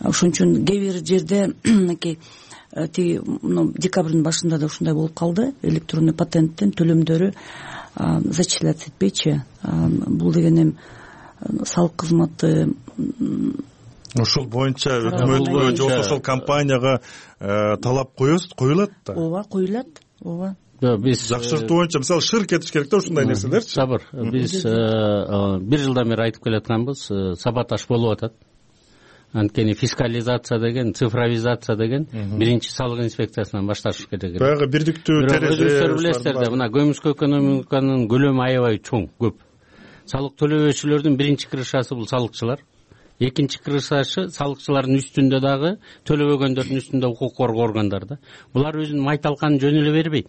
Ошон үчүн кээ бир жерде мынакей тиги декабрдын башында да ушундай болуп калды. Электронный патенттин төлөмдөрү зачисляться этпейчи. Бул деген эми салык кызматы ошол боюнча өкмөткө же болбосо ошол компанияга талап коюлат да. Ооба, коюлат. Ооба. Биз жакшыртуу боюнча мисалы шыр кетиш керек да ушундай нерселерчи. Сабыр. Биз бир жылдан бери айтып келатканбыз, саботаж болуп атат. Анткени фискализация деген, цифровизация деген биринчи салык инспекциясынан башташ керек. Баягы бирдиктүү терезе. Өзүңүздөр билесиздер да, мына көмүскө экономиканын көлөмү аябай чоң, көп. Салык төлөбөчүлөрдүн биринчи кырышасы бул салыкчылар. Экинчи кырышасы салыкчылардын үстүндө дагы төлөбөгөндөрдүн үстүндө укук коргоо органдары. Булар өзүнүн майталканын жөн эле бербейт.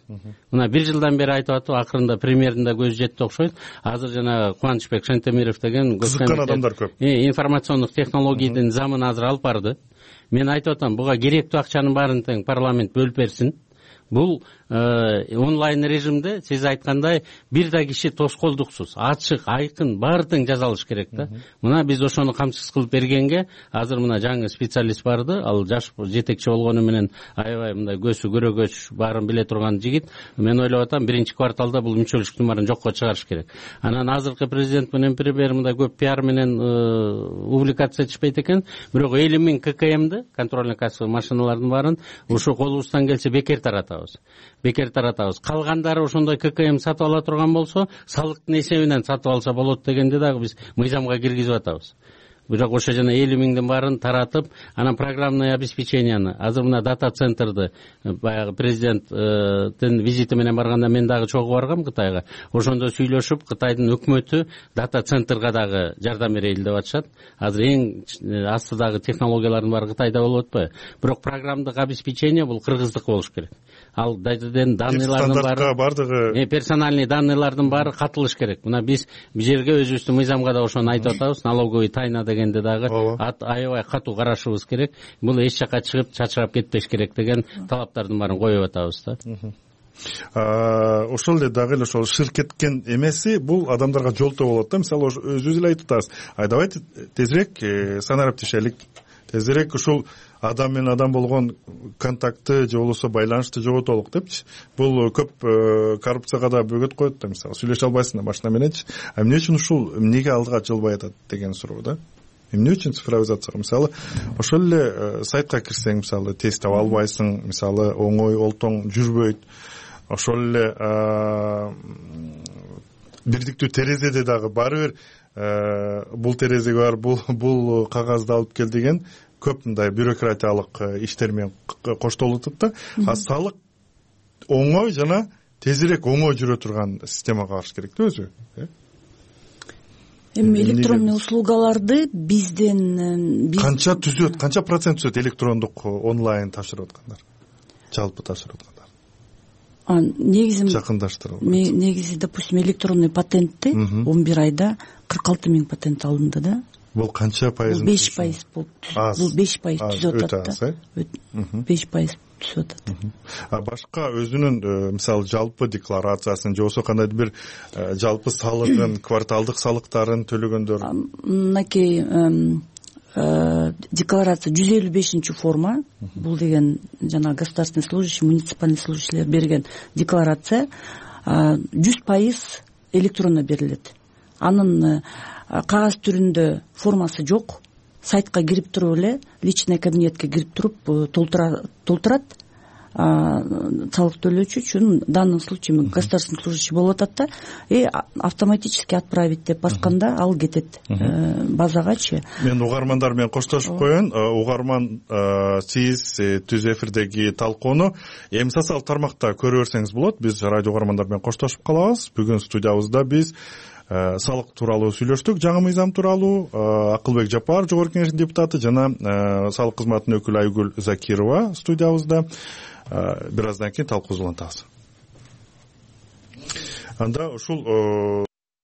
Мына бир жылдан бери айтып атып, акырында премьердин да көзү жетти окшойт. Азыр жана Кубанычбек Шентемиров деген кызыккан адамдар көп. Информациондук технологиянын замын азыр алып барды. Мен айтып атам, буга керектүү акчанын баарын тең парламент бөлүп берсин. Бул онлайн режимде сиз айткандай бир да киши тоскоолдуксуз, ачык, айкын, баары тең жазалыш керек да. Мына биз ошону камсыз кылып бергенге азыр мына жаңы специалист барды, ал жаш жетекчи болгону менен аябай мындай көзү көрөгөч, баарын биле турган жигит. Мен ойлоп атам, биринчи кварталда бул мүчөлүктүн баарын жокко чыгарыш керек. Анан азыркы президент менен премьер мындай көп пиар менен публикация этишпейт экен, бирок элүү миң ка ка эмди, контрольно кассовый машиналардын баарын ушу колубуздан келсе бекер таратабыз. Бекер таратабыз. Калгандары ошондой ка ка эм сатып ала турган болсо, салыктын эсебинен сатып алса болот дегенди дагы биз мыйзамга киргизип атабыз. Бирок ошо жана элүү миңдин баарын таратып, анан программное обеспеченияны, азыр мына дата центрды баягы президенттин визити менен барганда мен дагы чогуу баргам Кытайга. Ошондо сүйлөшүп, Кытайдын өкмөтү дата центрга дагы жардам берели деп атышат. Азыр эң астыдагы технологиялардын баары Кытайда болуп атпайбы? Бирок программдык обеспечение бул кыргыздык болуш керек. Ал дайдыден данныйлардын баары, бардыгы персональный данныйлардын баары катылыш керек. Мына биз бул жерге өзүбүздүн мыйзамга да ошону айтып атабыз, налоговый тайна дегенде дагы аябай катуу карашыбыз керек. Бул эч жака чыгып чачырап кетпеш керек деген талаптардын баарын коюп атабыз да. Ошол эле дагы эле ошол шыр кеткен эмеси бул адамдарга жолтоо болот да. Мисалы өзүбүз эле айтып атабыз. Ай давайте тезирээк санариптешелик, тезирээк ушул адам менен адам болгон контактты же болбосо байланышты жоготолук депчи. Бул көп коррупцияга да бөгөт коет да. Мисалы сүйлөшө албайсың да машина мененчи. А эмне үчүн ушул эмнеге алдыга жылбай атат деген суроо да. Эмне үчүн цифровизацияга? Мисалы ошол эле сайтка кирсең, мисалы тез таба албайсың, мисалы оңой олтоң жүрбөйт. Ошол эле бирдиктүү терезеде дагы баары бир бул терезеге бар, бул бул кагазды алып кел деген көп мындай бюрократиялык иштер менен коштолуп атат да. А салык оңой жана тезирээк оңой жүрө турган системага барыш керек да өзү. Эми электронный услугаларды бизден канча түзөт, канча процент түзөт электрондук онлайн тапшырып аткандар? Жалпы тапшырып аткандар. негизи жакындаштырып негизи допустим электронный патентти он бир айда кырк алты миң патент алынды да. Бул канча пайыз? беш пайыз болуп бул беш пайыз түзүп атат да. беш пайыз түзүп атат. А башка өзүнүн мисалы жалпы декларациясын же болбосо кандайдыр бир жалпы салыгын, кварталдык салыктарын төлөгөндөр? Мынакей декларация жүз элүү бешинчи форма. Бул деген жана государственный служащий, муниципальный служащийлер берген декларация жүз пайыз электронно берилет. Анын кагаз түрүндө формасы жок. Сайтка кирип туруп эле личный кабинетке кирип туруп толтурат. Салык төлөөчү үчүн в данном случае государственный служащий болуп атат да, и автоматически отправить деп басканда ал кетет базагачы. Мен угармандар менен коштошуп коеюн. Угарман, сиз түз эфирдеги талкууну эми социалдык тармакта көрө берсеңиз болот. Биз радио угармандар менен коштошуп калабыз. Бүгүн студиябызда биз салык тууралуу сүйлөштүк. Жаңы мыйзам тууралуу Акылбек Жапар, жогорку кеңештин депутаты, жана салык кызматынын өкүлү Айгүл Закирова студиябызда. Бир аздан кийин талкуубузду улантабыз. Анда ушул